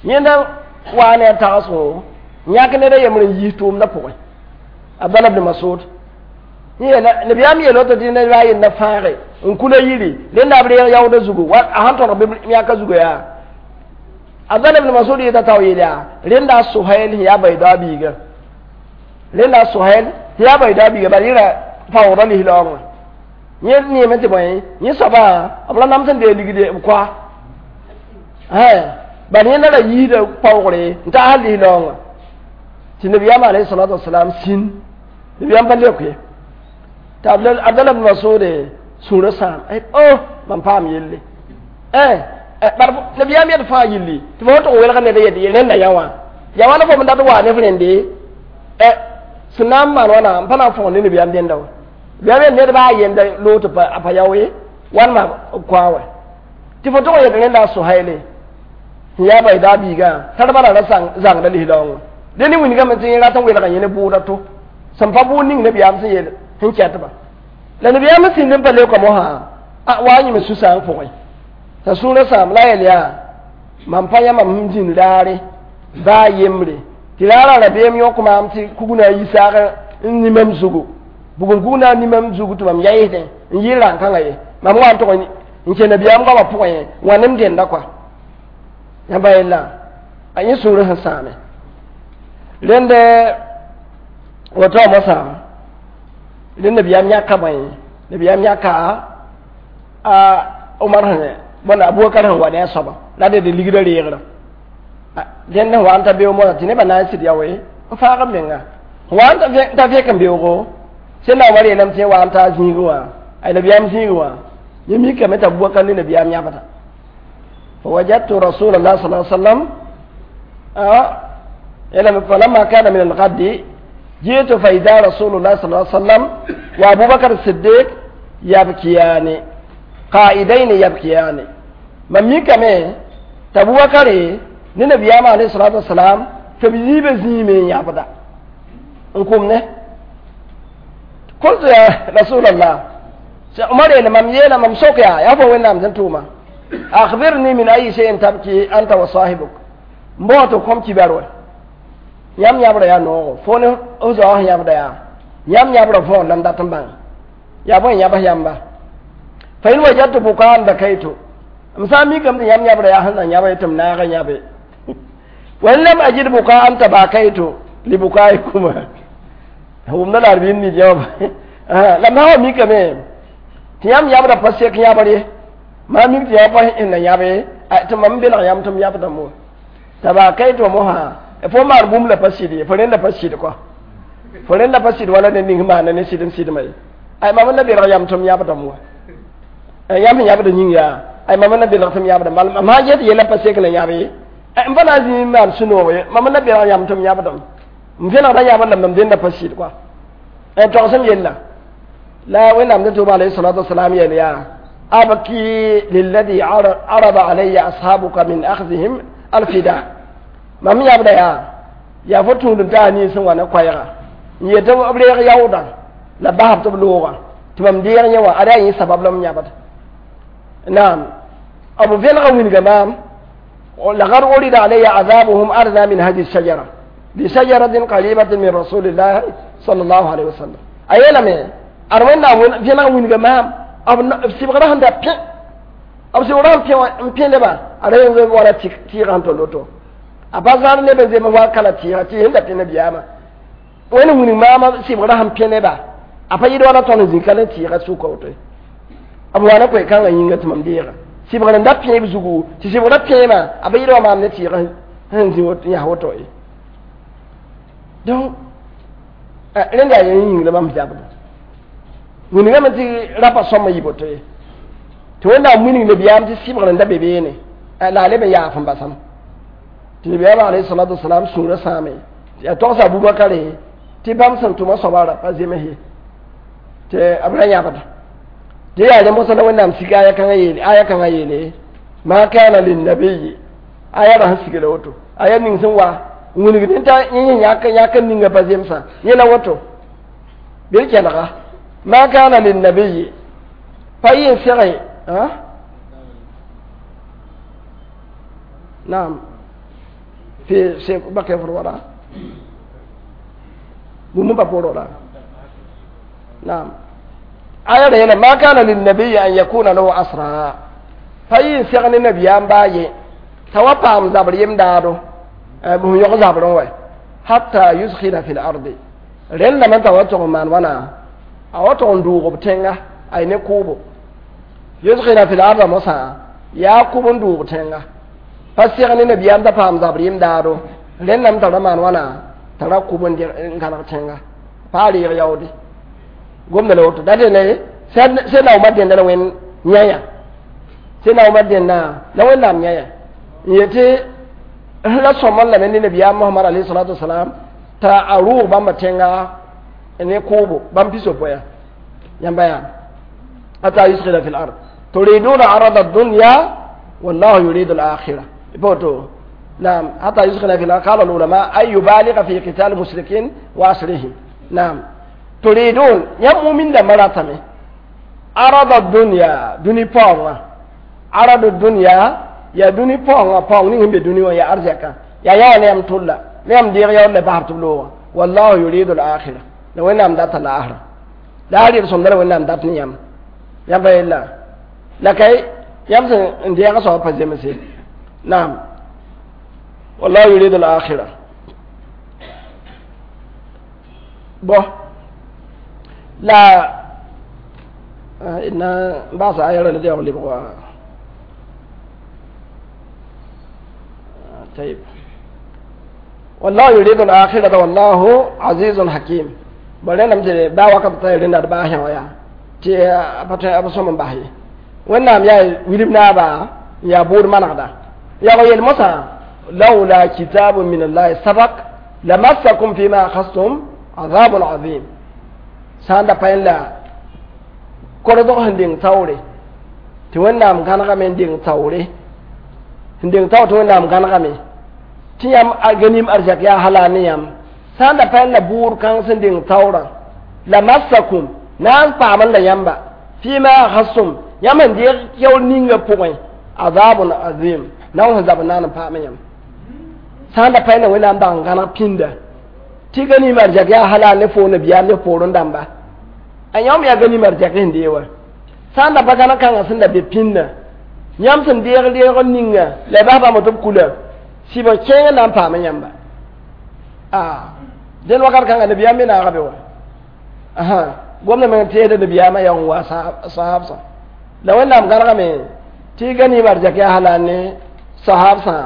yẽnda waa ne a tagsgo Yãk ned a yembr n yiis tʋʋmdã pʋgẽ. Abdallah ibn Masud nabiyaam yeel woto tɩ ned a yenda fãage n kula yiri rẽnda b reeg yaoodã zugu a sãn tõdg bɩ yãka zugu yaa. Abdallah ibn Masud yeta t'a yeel yaa rẽnda a Sohail sẽn yaa bayda biiga, rẽnda a Sohail sẽn yaa bayda biiga, bala yẽra paoogda lislaoongã yẽ neeme tɩ bõe yẽ soabã b ra nams n dee ligde b koa bala yẽnda ra yiisda paoogre n taas lislaoongã tɩ nabiyaam alayhi salatu wasalam sĩn nabiyaam pa leok ye tɩ Abdallah ibn Masud sũurã sãam o mam paam yelle bar nabiyaam yed fãa yilli tɩ fo tʋg welg ned yed rẽnda yã wã ya wãna fo m dat wa ne f rẽnde sẽn na n maan wãna n pa na n fõg ne nabiyaam dẽnda wã nabiyaam yel ned baa yenda loog tɩ a pa yao ye wãnema b koa wã tɩ fo tʋg n yet rẽnda a Sohaile sẽn yaa bayda biigã tara bala ra zãngda lislaoongã dẽ ne wingame tɩ yẽ rat n welga yẽ ne bʋʋda to sẽn pa bʋʋd ning nabiyaam sẽn yel sẽn kɛtba la nabiyaam sĩnd n pa leoka mosã a wa yẽme sũ-sãang pʋgẽ t'a sũurã sãam la yel yaa mam pa yã mam sẽn zĩnd raare baa yembre tɩ raarã rabeem yõk maam tɩ kugna yi saag n nimam zugu bugum kugna nimam zugu tɩ mam yaɩsdẽ n yɩ rãn-kãngã ye mam wa n tʋg n kẽ nabiyaam goamã pʋgẽ wã nem dẽnda kɔa yãmba yella a yẽ sũurã sẽn sãame rẽnd woto mosã rẽnd nabiyaam yãka bõe nabiyaam yãka a Omar sẽn bõn Abubakar sẽn wa ne a soaba la ded ligdã reegrã dẽnd sẽn wa n ta beoog mosã tɩ nebã na n sɩd yaoe n faag b menga wa n ta fek n beoogo sẽn na Omar yeelame tɩ wa n ta zĩigẽ wã ay nabiyaam zĩigẽ wã yẽ mikame t'a Abubakar ne nabiyaam yãbda. فوجدت رسول الله صلى الله عليه وسلم فلما كان من الغد جئت فإذا رسول الله صلى الله عليه وسلم وأبو بكر الصديق يبكيان قائدين يبكيان من ميكame t'a Abubakar ne nabiyaam alayhi salatu wasalam tɩ b yiibã zĩime n yãbda n kʋm ne. قلت يا رسول الله Umar yeele mam yeela mam sok yaa yaa fo Wẽnnaam sẽn tʋʋma أخبرني من أي شيء تبكي أنت وصاحبك mboo tɩ kom kibar wɛ yãmb yãbra yaa noogo fo ne f zaoog sẽn yãbda yaa yãmb yãbra võor la m dat n bãng yaa bõe yãbs yãmba fa in wajadtu bukaan bakaytu m sã n mikame tɩ yãmb yãbra yaa sẽn na yãbe tɩ m naag n yãbe wa in lam ajid bukaan tabakaytu libukaikuma wʋmda la arbim nid yãmb la m sã wa mikame tɩ yãmb yãbra pa sek yãbr ye maa mik tɩ yã pa sẽn na yãbe tɩ mam belg yãmb tɩ m yãbda mo tabakaytu mosã fo maan bũmb la pa sɩd ye fo rẽnda pa sɩd kɔa fo rẽnda pa sɩd wala ned ning maana ne sɩd n sɩdma ye ay mam n na belg yãmb tɩ m yãbdame wa yãmb sẽn yãbda yĩng yaa ay mam n na belg tɩ m yãbda mam sã n get yella pa sek na yãb ye m pa na n zĩ n maan sũ-noog ye mam n na belg yãmb tɩ m yãbdame m vẽnegda yãbd la mam dẽnda pa sɩd kɔa togsem yella la Wẽnnaam sẽn tʋʋma alayhi salatu wasalam yeel yaa abki lilladhi arada alayya ashabuka min akhdhihim alfida mam yãbda yaa yaa fo tũud n taa nins n wa ne koɛɛga n yet tɩ b reeg yaoodã la basb tɩ b loogã tɩ mam deeg yẽ wã ada yaa yẽ sabab la m yãbd naam b vẽnega wilga maam لقد عرض علي عذابهم أرضى من هذه الشجرة لشجرة قريبة من رسول الله صلى الله عليه وسلم أي لم أروينا فينا وين maam b sɩbgrã sẽn da pẽ b sɩbgrã n pẽ lebã ada yẽ wala tɩɩgã sẽn tol woto a pa zãad neb n zems wa kala tɩɩga tɩ sẽn da pẽ nabiyaamã wẽnd wilg maamã sɩbgrã sẽn pẽ neba a pa yɩd wala tõnd n zĩ ka ne tɩɩga sʋka woto b wa ne koe-kãngã yĩnga tɩ mam deega sɩbgr n da pẽeb zugu tɩ sɩbgrã pẽema a pa yɩd wa maam ne tɩɩgã sẽn zĩ yãs woto ye donc rẽnd yaa yẽ yĩng la mam zabda wilgame tɩ rapa sõma yɩ boto ye tɩ Wẽnnaam wilg nabiyaam tɩ sɩbgr n da be beene la a leb n yaaf n basame tɩ nabiyaam alayhi salatu wasalam sũurã sãame a togsa Abubakare tɩ bãmb sẽn tʋma soaba ra pa zems ye tɩ b ra yãbda tɩ yaa rẽ mosã la Wẽnnaam sik aya kãngã yeele aya kãngã yeele ma kana linnabiyi aya ra sẽn sigla woto aya ning sẽn wa n wilgd t'a yẽ yãk yãk n ninga pa zemsã yẽ la woto bɩ kelga ma kana linnabiyi pa yɩ n sege naam في بقي في الوراء Bũmb pa pʋʋrg la. Naam. Aya ra yeela ma kana linnabiyi an yakuna lahu asra. Pa yɩ n seg ne nabiyaam baa ye t'a wa paam zabr yem daado bũmb yõg zabrẽ wɛ hatta yuskhina fi l ardi rẽndame t'a wa tʋg n maan wãna a wa tʋg n dʋʋg b tẽnga ay ne kʋʋbo yuskhina fi l arda mosã yaa kʋb n dʋʋg tẽnga pa seg ne nabiyaam t'a paam zabr yem daado rẽndame t'a ra maan wãna t'a ra kʋb n gãneg tẽnga pa a reeg yaoode gomda la woto da dẽne sẽn na Umar dẽnda la wẽnd yãya sẽn na Umar dẽnda la wẽnnaam yãya n yetɩ la sõm n lame ne nabiyaam Mohamad alayhi salatu wasalam t'a a rʋʋg bãmba tẽnga ne kʋʋbo bãmb pisopoya yãmba yaa hatta yuskhina fi l-ard turiduna arada ad-dunya wallahu yuridu al-akhirah woto نعم حتى يسخن في الأرض قال العلماء أي يبالغ في قتال المشركين وأسرهم نعم تريدون يم من مراتمه عرض الدنيا دني پاونga عرض الدنيا ya duni paoongã paoong ning sẽn be dũni wã ya arzɛka yaa yã wã ne yãmb tʋlla ne yãmb deeg yaool la basb tɩ b loogã wallahu yuridu al-akhira la wẽnnaam data la asra la a rɩd sõmda la wẽnnaam dat ne yãmb yãmba yella la kay yãmb sẽn n deega soaba pa zemse naam wallahu yuridu al-akhira bõ la na n baasa aya ra la deoog lebg wa طيب والله يريد الآخرة والله عزيز حكيم بل نم تي با وقت تي رenda ba hɛ ya tɩ pa tõe b sõm n bas ye wẽnnaam yaa wilm naaba n yaa bʋʋd manegda yaa yel mosã لولا كتاب من الله سبق لمسكم فيما أخذتم عذاب عظيم sã n da pa la kordg sẽn deng taoore tɩ wẽnnaam gãnegame n deng taoore sẽn deng taoor tɩ wẽnnaam gãnegame tɩ yãmb ganim arzɛk yaa hala ne yãmb sã n da pa la bʋʋd kãng sẽn deng taoorã la massakum na n paam la yãmba fima akhastum yãmb sẽn deeg keoor ninga pʋgẽ azabun azim na sẽn zab n na n paam yãmb sã n da pa la wẽnnaam dag n gãneg pĩnda tɩ ganim arzɛk yaa hala ne fo nabiyaam ne poorẽ dãmba a yãmb yaa ganim arzɛk sẽn dee wa sã n da pa gãneg kãngã sẽn da be pĩndã yãmb sẽn deeg reeg ninga la y bas bãmb tɩ b kula sɩbg kẽeng na n paam yãmba a dẽn wakat kãnga nabiyaam me naaga be wa gomda meng teeda nabiyaamã yaa n wa sahabsã la wẽnnaam gãnegame tɩ ganim arzɛk yaa hala ne sahabsã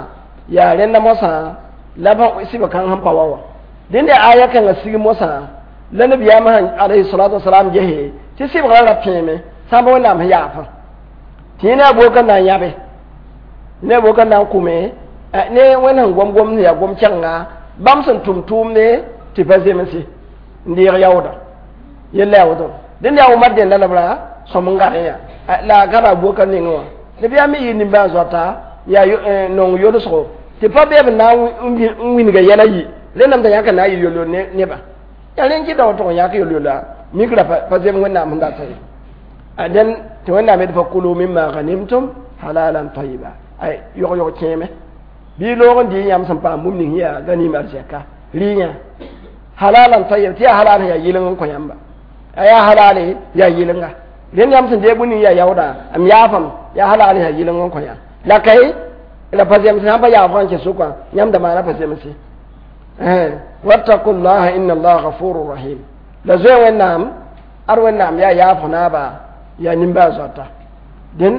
yaa rẽnda mosã la sɩbg kãng sẽn pa wa wã dẽnd yaa aya kãngã sig mosã la nabiyaamã alayhi salatu wasalam gese tɩ sɩbgrã ra pẽeme sã n pa wẽnnaam sẽn yaafã tɩ yẽ ne a boka na n yãbe ne a boka na n kʋme ne wẽnd sẽn gom gom yaa gom kẽnga bãmb sẽn tʋm tʋʋmde tɩ pa zemse n deeg yaooda yella yaa woto dẽnd yaa Umar dẽnda la b ra sõm n gãdẽ yaa la a gãda a boka nengẽ wã nabiyaam me yɩ nimbãan zoata yaa nong yolsgo tɩ pa bee b na n wilga yɛla yi rẽndame t'a yãk n na n yɩ yol-yol nebã yaa rẽn kɩta woto n yãk yol-yola mikra pa zem wẽnnaam sẽn data ye dẽn tɩ wẽnnaam yet fa kulu mimma ghanimtum halalan tayiba ay yog-yog kẽeme bɩ loog n dɩ yãmb sẽn paam bũmb ning yaa ganim arzɛka rɩyã halalan tayyib tɩ yaa halal sẽn yaa yɩleng n kõ yãmba a yaa halale yaa yɩlenga rẽnd yãmb sẽn deeg bũmb ning yaa yaooda m yaafame yaa halal sẽn yaa yɩleng n kõ yã la kay la pa zemse sãn pa yaafgã n kẽ sʋkã yãmb da maana pa zemse wattaku llaha inna allaha ghafurun rahim la zoe wẽnnaam ad wẽnnaam yaa yaafg naaba yaa nimbaa-zoata dẽn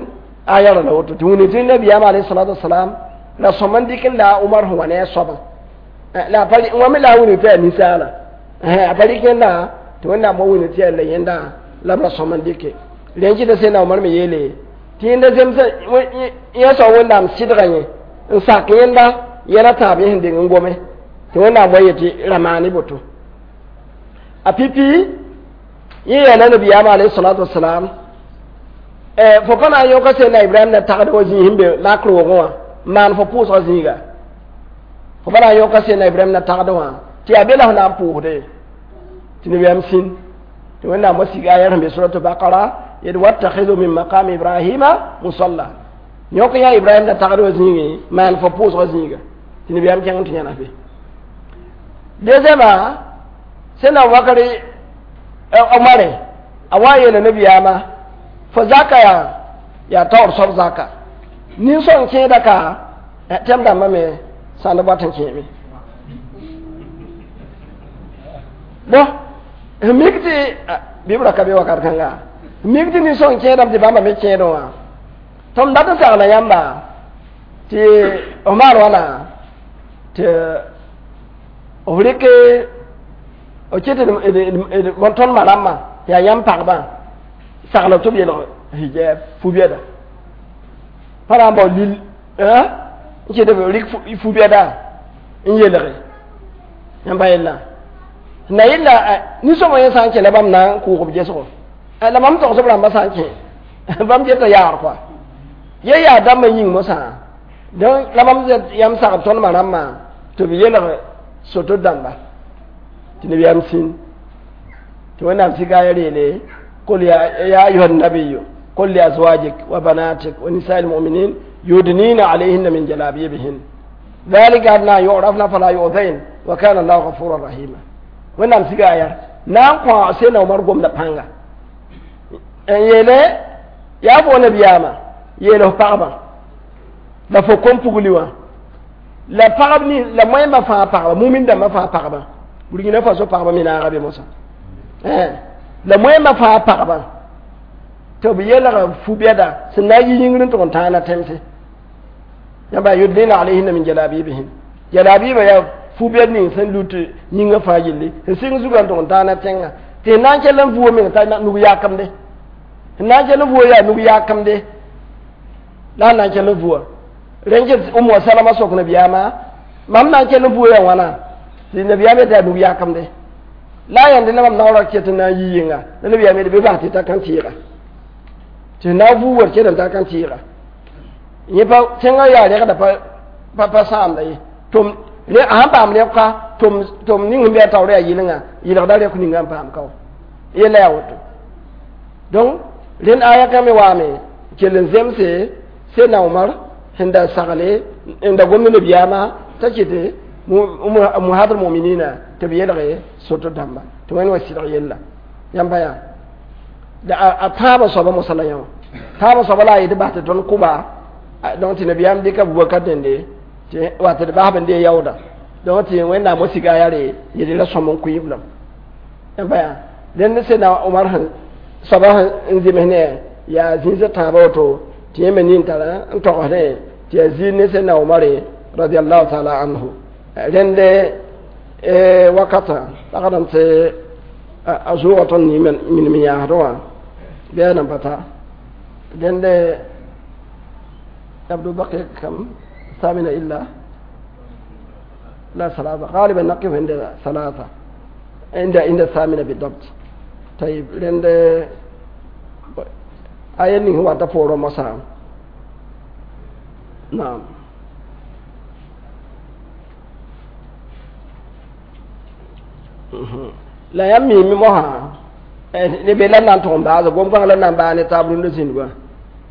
aya ra la woto tɩ wũni tɩ nabiyaam alayhi salatu wasalam la sõm n dɩk n la a Umar sẽn wa ne a soabã la pa wã me la a wũni tɩ yaa ninsaala a pa rɩk yẽnda tɩ wẽnnaam wa wũni tɩ yaa la yẽnda la b ra sõm n dɩke rẽn kɩta sẽn Umar me yeele tɩ yẽnda zemsa yẽ soab wẽnnaam sɩdga yẽ n sak yẽnda yɛla tãab yẽ sẽn deng n gome tɩ wẽnnaam wa yetɩ ra maane boto a pipi yẽ yeela nabiyaam alayhi salatu wasalam fo pa na n yõka sẽn na Ibrahim na tagd wã zĩig sẽn be makr wogẽ wã n maan fo pʋʋsgã zĩiga fo pa na n yõka sẽn na Ibrahim na tagd wã tɩ yaa be la f na n pʋʋsde tɩ nabiyaam sĩn tɩ wẽnnaam wa sig aya sẽn be suratu Bakara yet wattakhidhu min maqami Ibrahima musalla yõk yã Ibrahim na tagd wã zĩigẽ maan fo pʋʋsgã zĩiga tɩ nabiyaam kẽng tɩ yãnas be Deuxièmement, sẽn na wakare Omare a wa yeela nabiyaamã fo zaka yaa taoor soab zaka nin-sõng kẽeda ka tɛm dãmbã me sãnd bat n kẽeme bõ n mik tɩ bɩ b ra ka be wakat kãnga mik tɩ nin-sõng kẽedame tɩ bãmba me kẽedẽ wã tɩ m dat n sagla yãmba tɩ f maan wãna tɩ f rɩk f ket tõnd ma rãmbã tɩ yaa yãmb pagbã sagl tɩ b yelg hijab fu-bɛda pa na n bao lil n ket b rɩk fu-bɛda n yelge yãmba yella na yella nin-sõma yẽ sã n kẽ la bãmb na n kʋʋg b gesgo la mam togs b rãmbã sã n kẽ bãmb geta yaar kɔa ye yaa dãmbã yĩng mosã donc la bãmb yãmb sagb tõnd ma rãmbã tɩ b yelg soto dãmba tɩ nabiyaam sĩn tɩ wẽnnaam sika ya reele قل يا أيها النبي قل لأزواجك وبناتك ونساء المؤمنين يدنين عليهن من جلابيبهن ذلك أدنى يعرفن فلا يؤذين وكان الله غفورا رحيما wẽnnaam siga a yaa na n kõ sẽna Omar gomda pãnga n yeele yaa fo nabiyaamã yeel f pagbã la fo kom-pugli wã la pagb ni la moẽmbã fãa pagba mumin dãmbã fãa pagba Burkina Faso pagba me naaga be mosã la moẽmbã fãa pagba tɩ b yeelga fu-bɛda sẽn na n yi yĩngr n tʋg n tãana tẽmse yãmba yudnina alayhinna min jalabibihin jalabiba yaa fu-bɛd ning sẽn lut yĩngã fãa yelle sẽn sɩng zugã n tʋg n tãana tẽngã tɩ na n kell n vuo meng t'a nug yakemde n na n kell n vuo yaa nug yakemde la a na n kell n vua rẽn ket Umu Salama sok nabiyaamã mam na n kell n vuo yaa wãna tɩ nabiyaam yetɩ yaa nug yakemde la a yãnd la mam naoora ket n na n yi yɩnga la nabiyaam yetɩ bɩ bas tɩ ta kãn tɩɩga tɩ na n vuu war ket n ta kãn tɩɩga yẽ pa tẽngã yaa rɛgda pa pa sãamda ye tʋm a sãn paam rɛka tʋm ning sẽn be a taoor yaa yɩlenga yɩlgda rɛk ninga n paam ka wa yella yaa woto donc rẽnd aya kã me waame kell n zemse sẽdna Omar sẽn da sagle n da gomd nabiyaamã t'a ket muhadr muminina tɩ b yelge soto dãmba tɩ wẽnd wa sɩdg yella yãmba yaa a tãabã soaba mosã la yã wã tãabã soaba la a yetɩ bas tɩ tõnd kʋba donc tɩ nabiyaam dɩka Abubakar dẽnde tɩ wa tɩ d basb n dee yaooda donc tɩ wẽnnaam wa siga a yaa re yel ra sõm n kʋɩ b lame yãmba yaa rẽnd sẽdna Omar sẽn soaba sẽn zems ne yaa zĩisã tãabã woto tɩ yẽ me nin tara n togsdẽ tɩ yaa ziir ne sẽdna Omare radiallahu taala anhu rẽnd wakata pagdame tɩ a zʋʋga tõnd minim yãasdẽ wã bɩ a nan pa ta rẽnd يبدو بقي كم ثامنة إلا لا ثلاثة غالبا نقف عند ثلاثة عند الثامنة بالضبط طيب لأن آية هو تفور مسا نعم la yãmb miime mosã ne be la na n tʋg n baasa gom-kãng la na n baa ne taab rũndã zĩndgã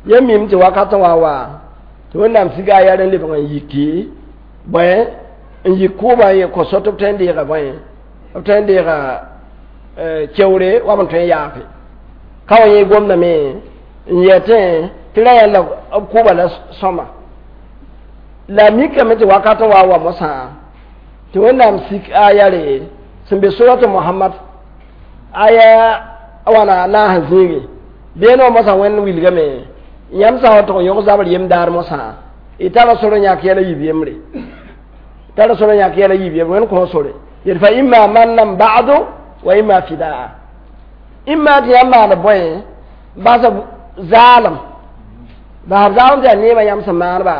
yãmb miime tɩ wakatã wa wa tɩ wẽnnaam siga a yaa n lebg n yiki bõe n yik kʋʋbã n kõ so tɩ b tõe n deega bõe b tõe n deega keoore wa b n tõe n yaafe ka wa yẽ gomdame n yɛtẽ tɩ ra yã la b kʋʋba la sõma la mikame tɩ wakatã wa wa mosã tɩ wẽnnaam sik aya re sẽn be suratu Muhammad aya wãna naas n zĩige beene wã mosã wẽnd wilgame yãmb sã n wa tʋg n yõg zabr yem daar mosã y tara sor n yãk yɛla yiib yembre tara sor n yãk yɛla yiib yembre wẽnd kõ sore yet fa imma mannan ba'du wa imma fidaa imma tɩ yãmb maan bõe basa zaalem basb zaalem tɩ yaa neebã yãmb sẽn maanba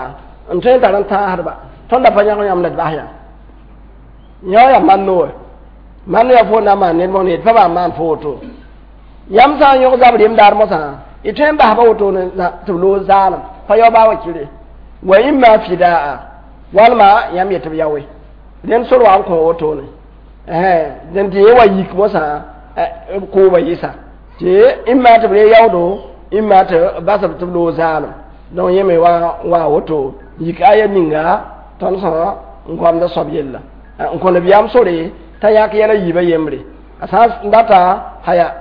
n tõe n tar n tãasdba tõnd da pa yãg yãmb la d bas yã yã yaa manno wa manno yaa fo na n maan ned mosã yet pa baa maan fo woto yãmb sã n yõg zabr yem daar mosã y tõe n basba woto tɩ b loog zaalem pa yao baa wa kire wa imma fidaa walma yãmb yetɩ b yaoe rẽnd sor wa n kõ wotone dẽn tɩ yẽ wa yik mosã kʋʋba yɩsa tɩ imma tɩ b re yaoodo imma tɩ basb tɩ b loog zaalem donc yẽ me wa woto yik aya ninga tõnd sã n goamda soab yella N kõ nabiyaam sore t'a yãk yɛl a yiibã yembre. A sã n data haya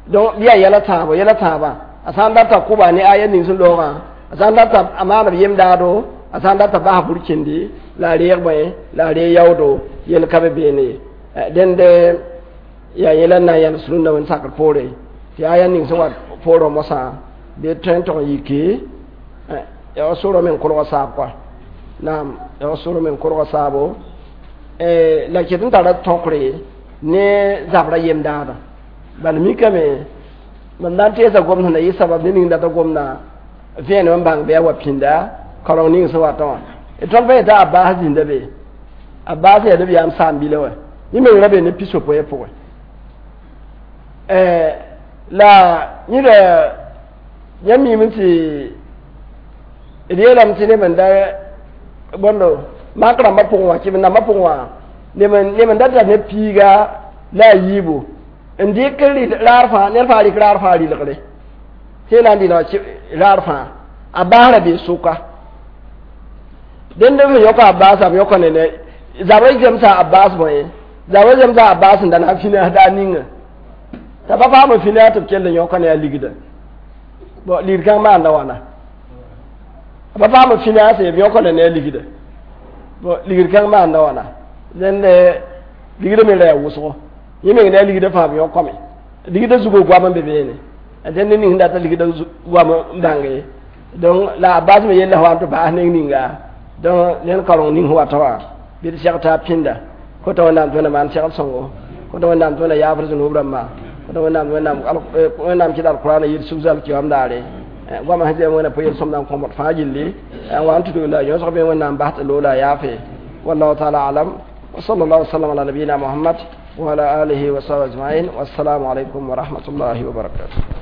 donc bɩ yaa yɛl a tãabo, yɛl a tãabã, a sã n data kʋba ne aya ning sẽn loogã, a sã n data a maan b yem-daado, a sã n data bas burkĩndi la a reeg bõe la a reeg yaoodo, yell ka be beene ye. Dẽnd yaa yẽla n na n yãls rũndã wẽnd sakr poore tɩ aya ning sẽn wa poorẽ mosã bɩ tõe n tog n yiki yaa sʋrã me n kolg saab kɔa. Naam, yaa sʋrã me n kolg saabo la ket n tara tõkre ne zabra yem-daadã. Bala mikame mam na n teesa gomd sẽn na yɩ sabab ne ning data gomdã vẽenem n bãng bɩ a wa pĩnda kaoreng ning sẽn watã wã. Tõnd pa yeta Abbas zĩnda be, Abbas yaa nabiyaam saam-bila wã, yẽ meng ra be ne pisopoe pʋgẽ. La yẽda yãmb miime tɩ d yeelame tɩ neb n da bõndo mak rãmbã pʋgẽ wã, kɩ nambã pʋgẽ wã, neb n da tar ne piiga la a yiibu n dɩk raar fãa, ned fãa rɩk raar fãa rɩlgre tɩ na n dɩlg raar fãa. A baas ra bee sʋka dẽnd b sẽn yõka a baasa, b yõka ne zabra zemsa a baas bõe, zabra zemsa a baas n da na n finãs daar ninga t'a pa paam n finãs tɩ b kell n yõka ne a ligda. Bon, ligd kãng maanda wãna, a pa paam n finãase, b yõka ne a ligda. Bon, ligd kãng maanda wãna, dẽnd ligda me ra yaa wʋsgo, yẽ meng ne a ligda fãa b yõkame ligda zugo goam n be beene. Dẽnd ning sẽn data ligda goam n bãnge. Donc la a baas me yella wa n tɩ baas neng ninga. Donc ned kaoreng ning sẽn wata wã bɩ d seg t'a pĩnda kota Wẽnnaam tɩ Wẽnnaam maan segl sõngo, kota Wẽnnaam tɩ Wẽnnaam yaafr zũnub rãmba, kota Wẽnnaam tɩ Wẽnnaam kɩt alkurana yɩl sug-zal kiwam daare goamã sẽn zẽm Wẽnna pʋ-yel-sõmda n kõbd fãa gilli n wa n tudg la yõsg bɩ Wẽnnaam bas tɩ loola a yaafe. Wallahu taala alam wa sallallahu wa sallam ala nabiyina Muhammad wa ala alihi wa sahbihi ajma'in. Wassalamu alaikum wa rahmatullahi wa barakatuh.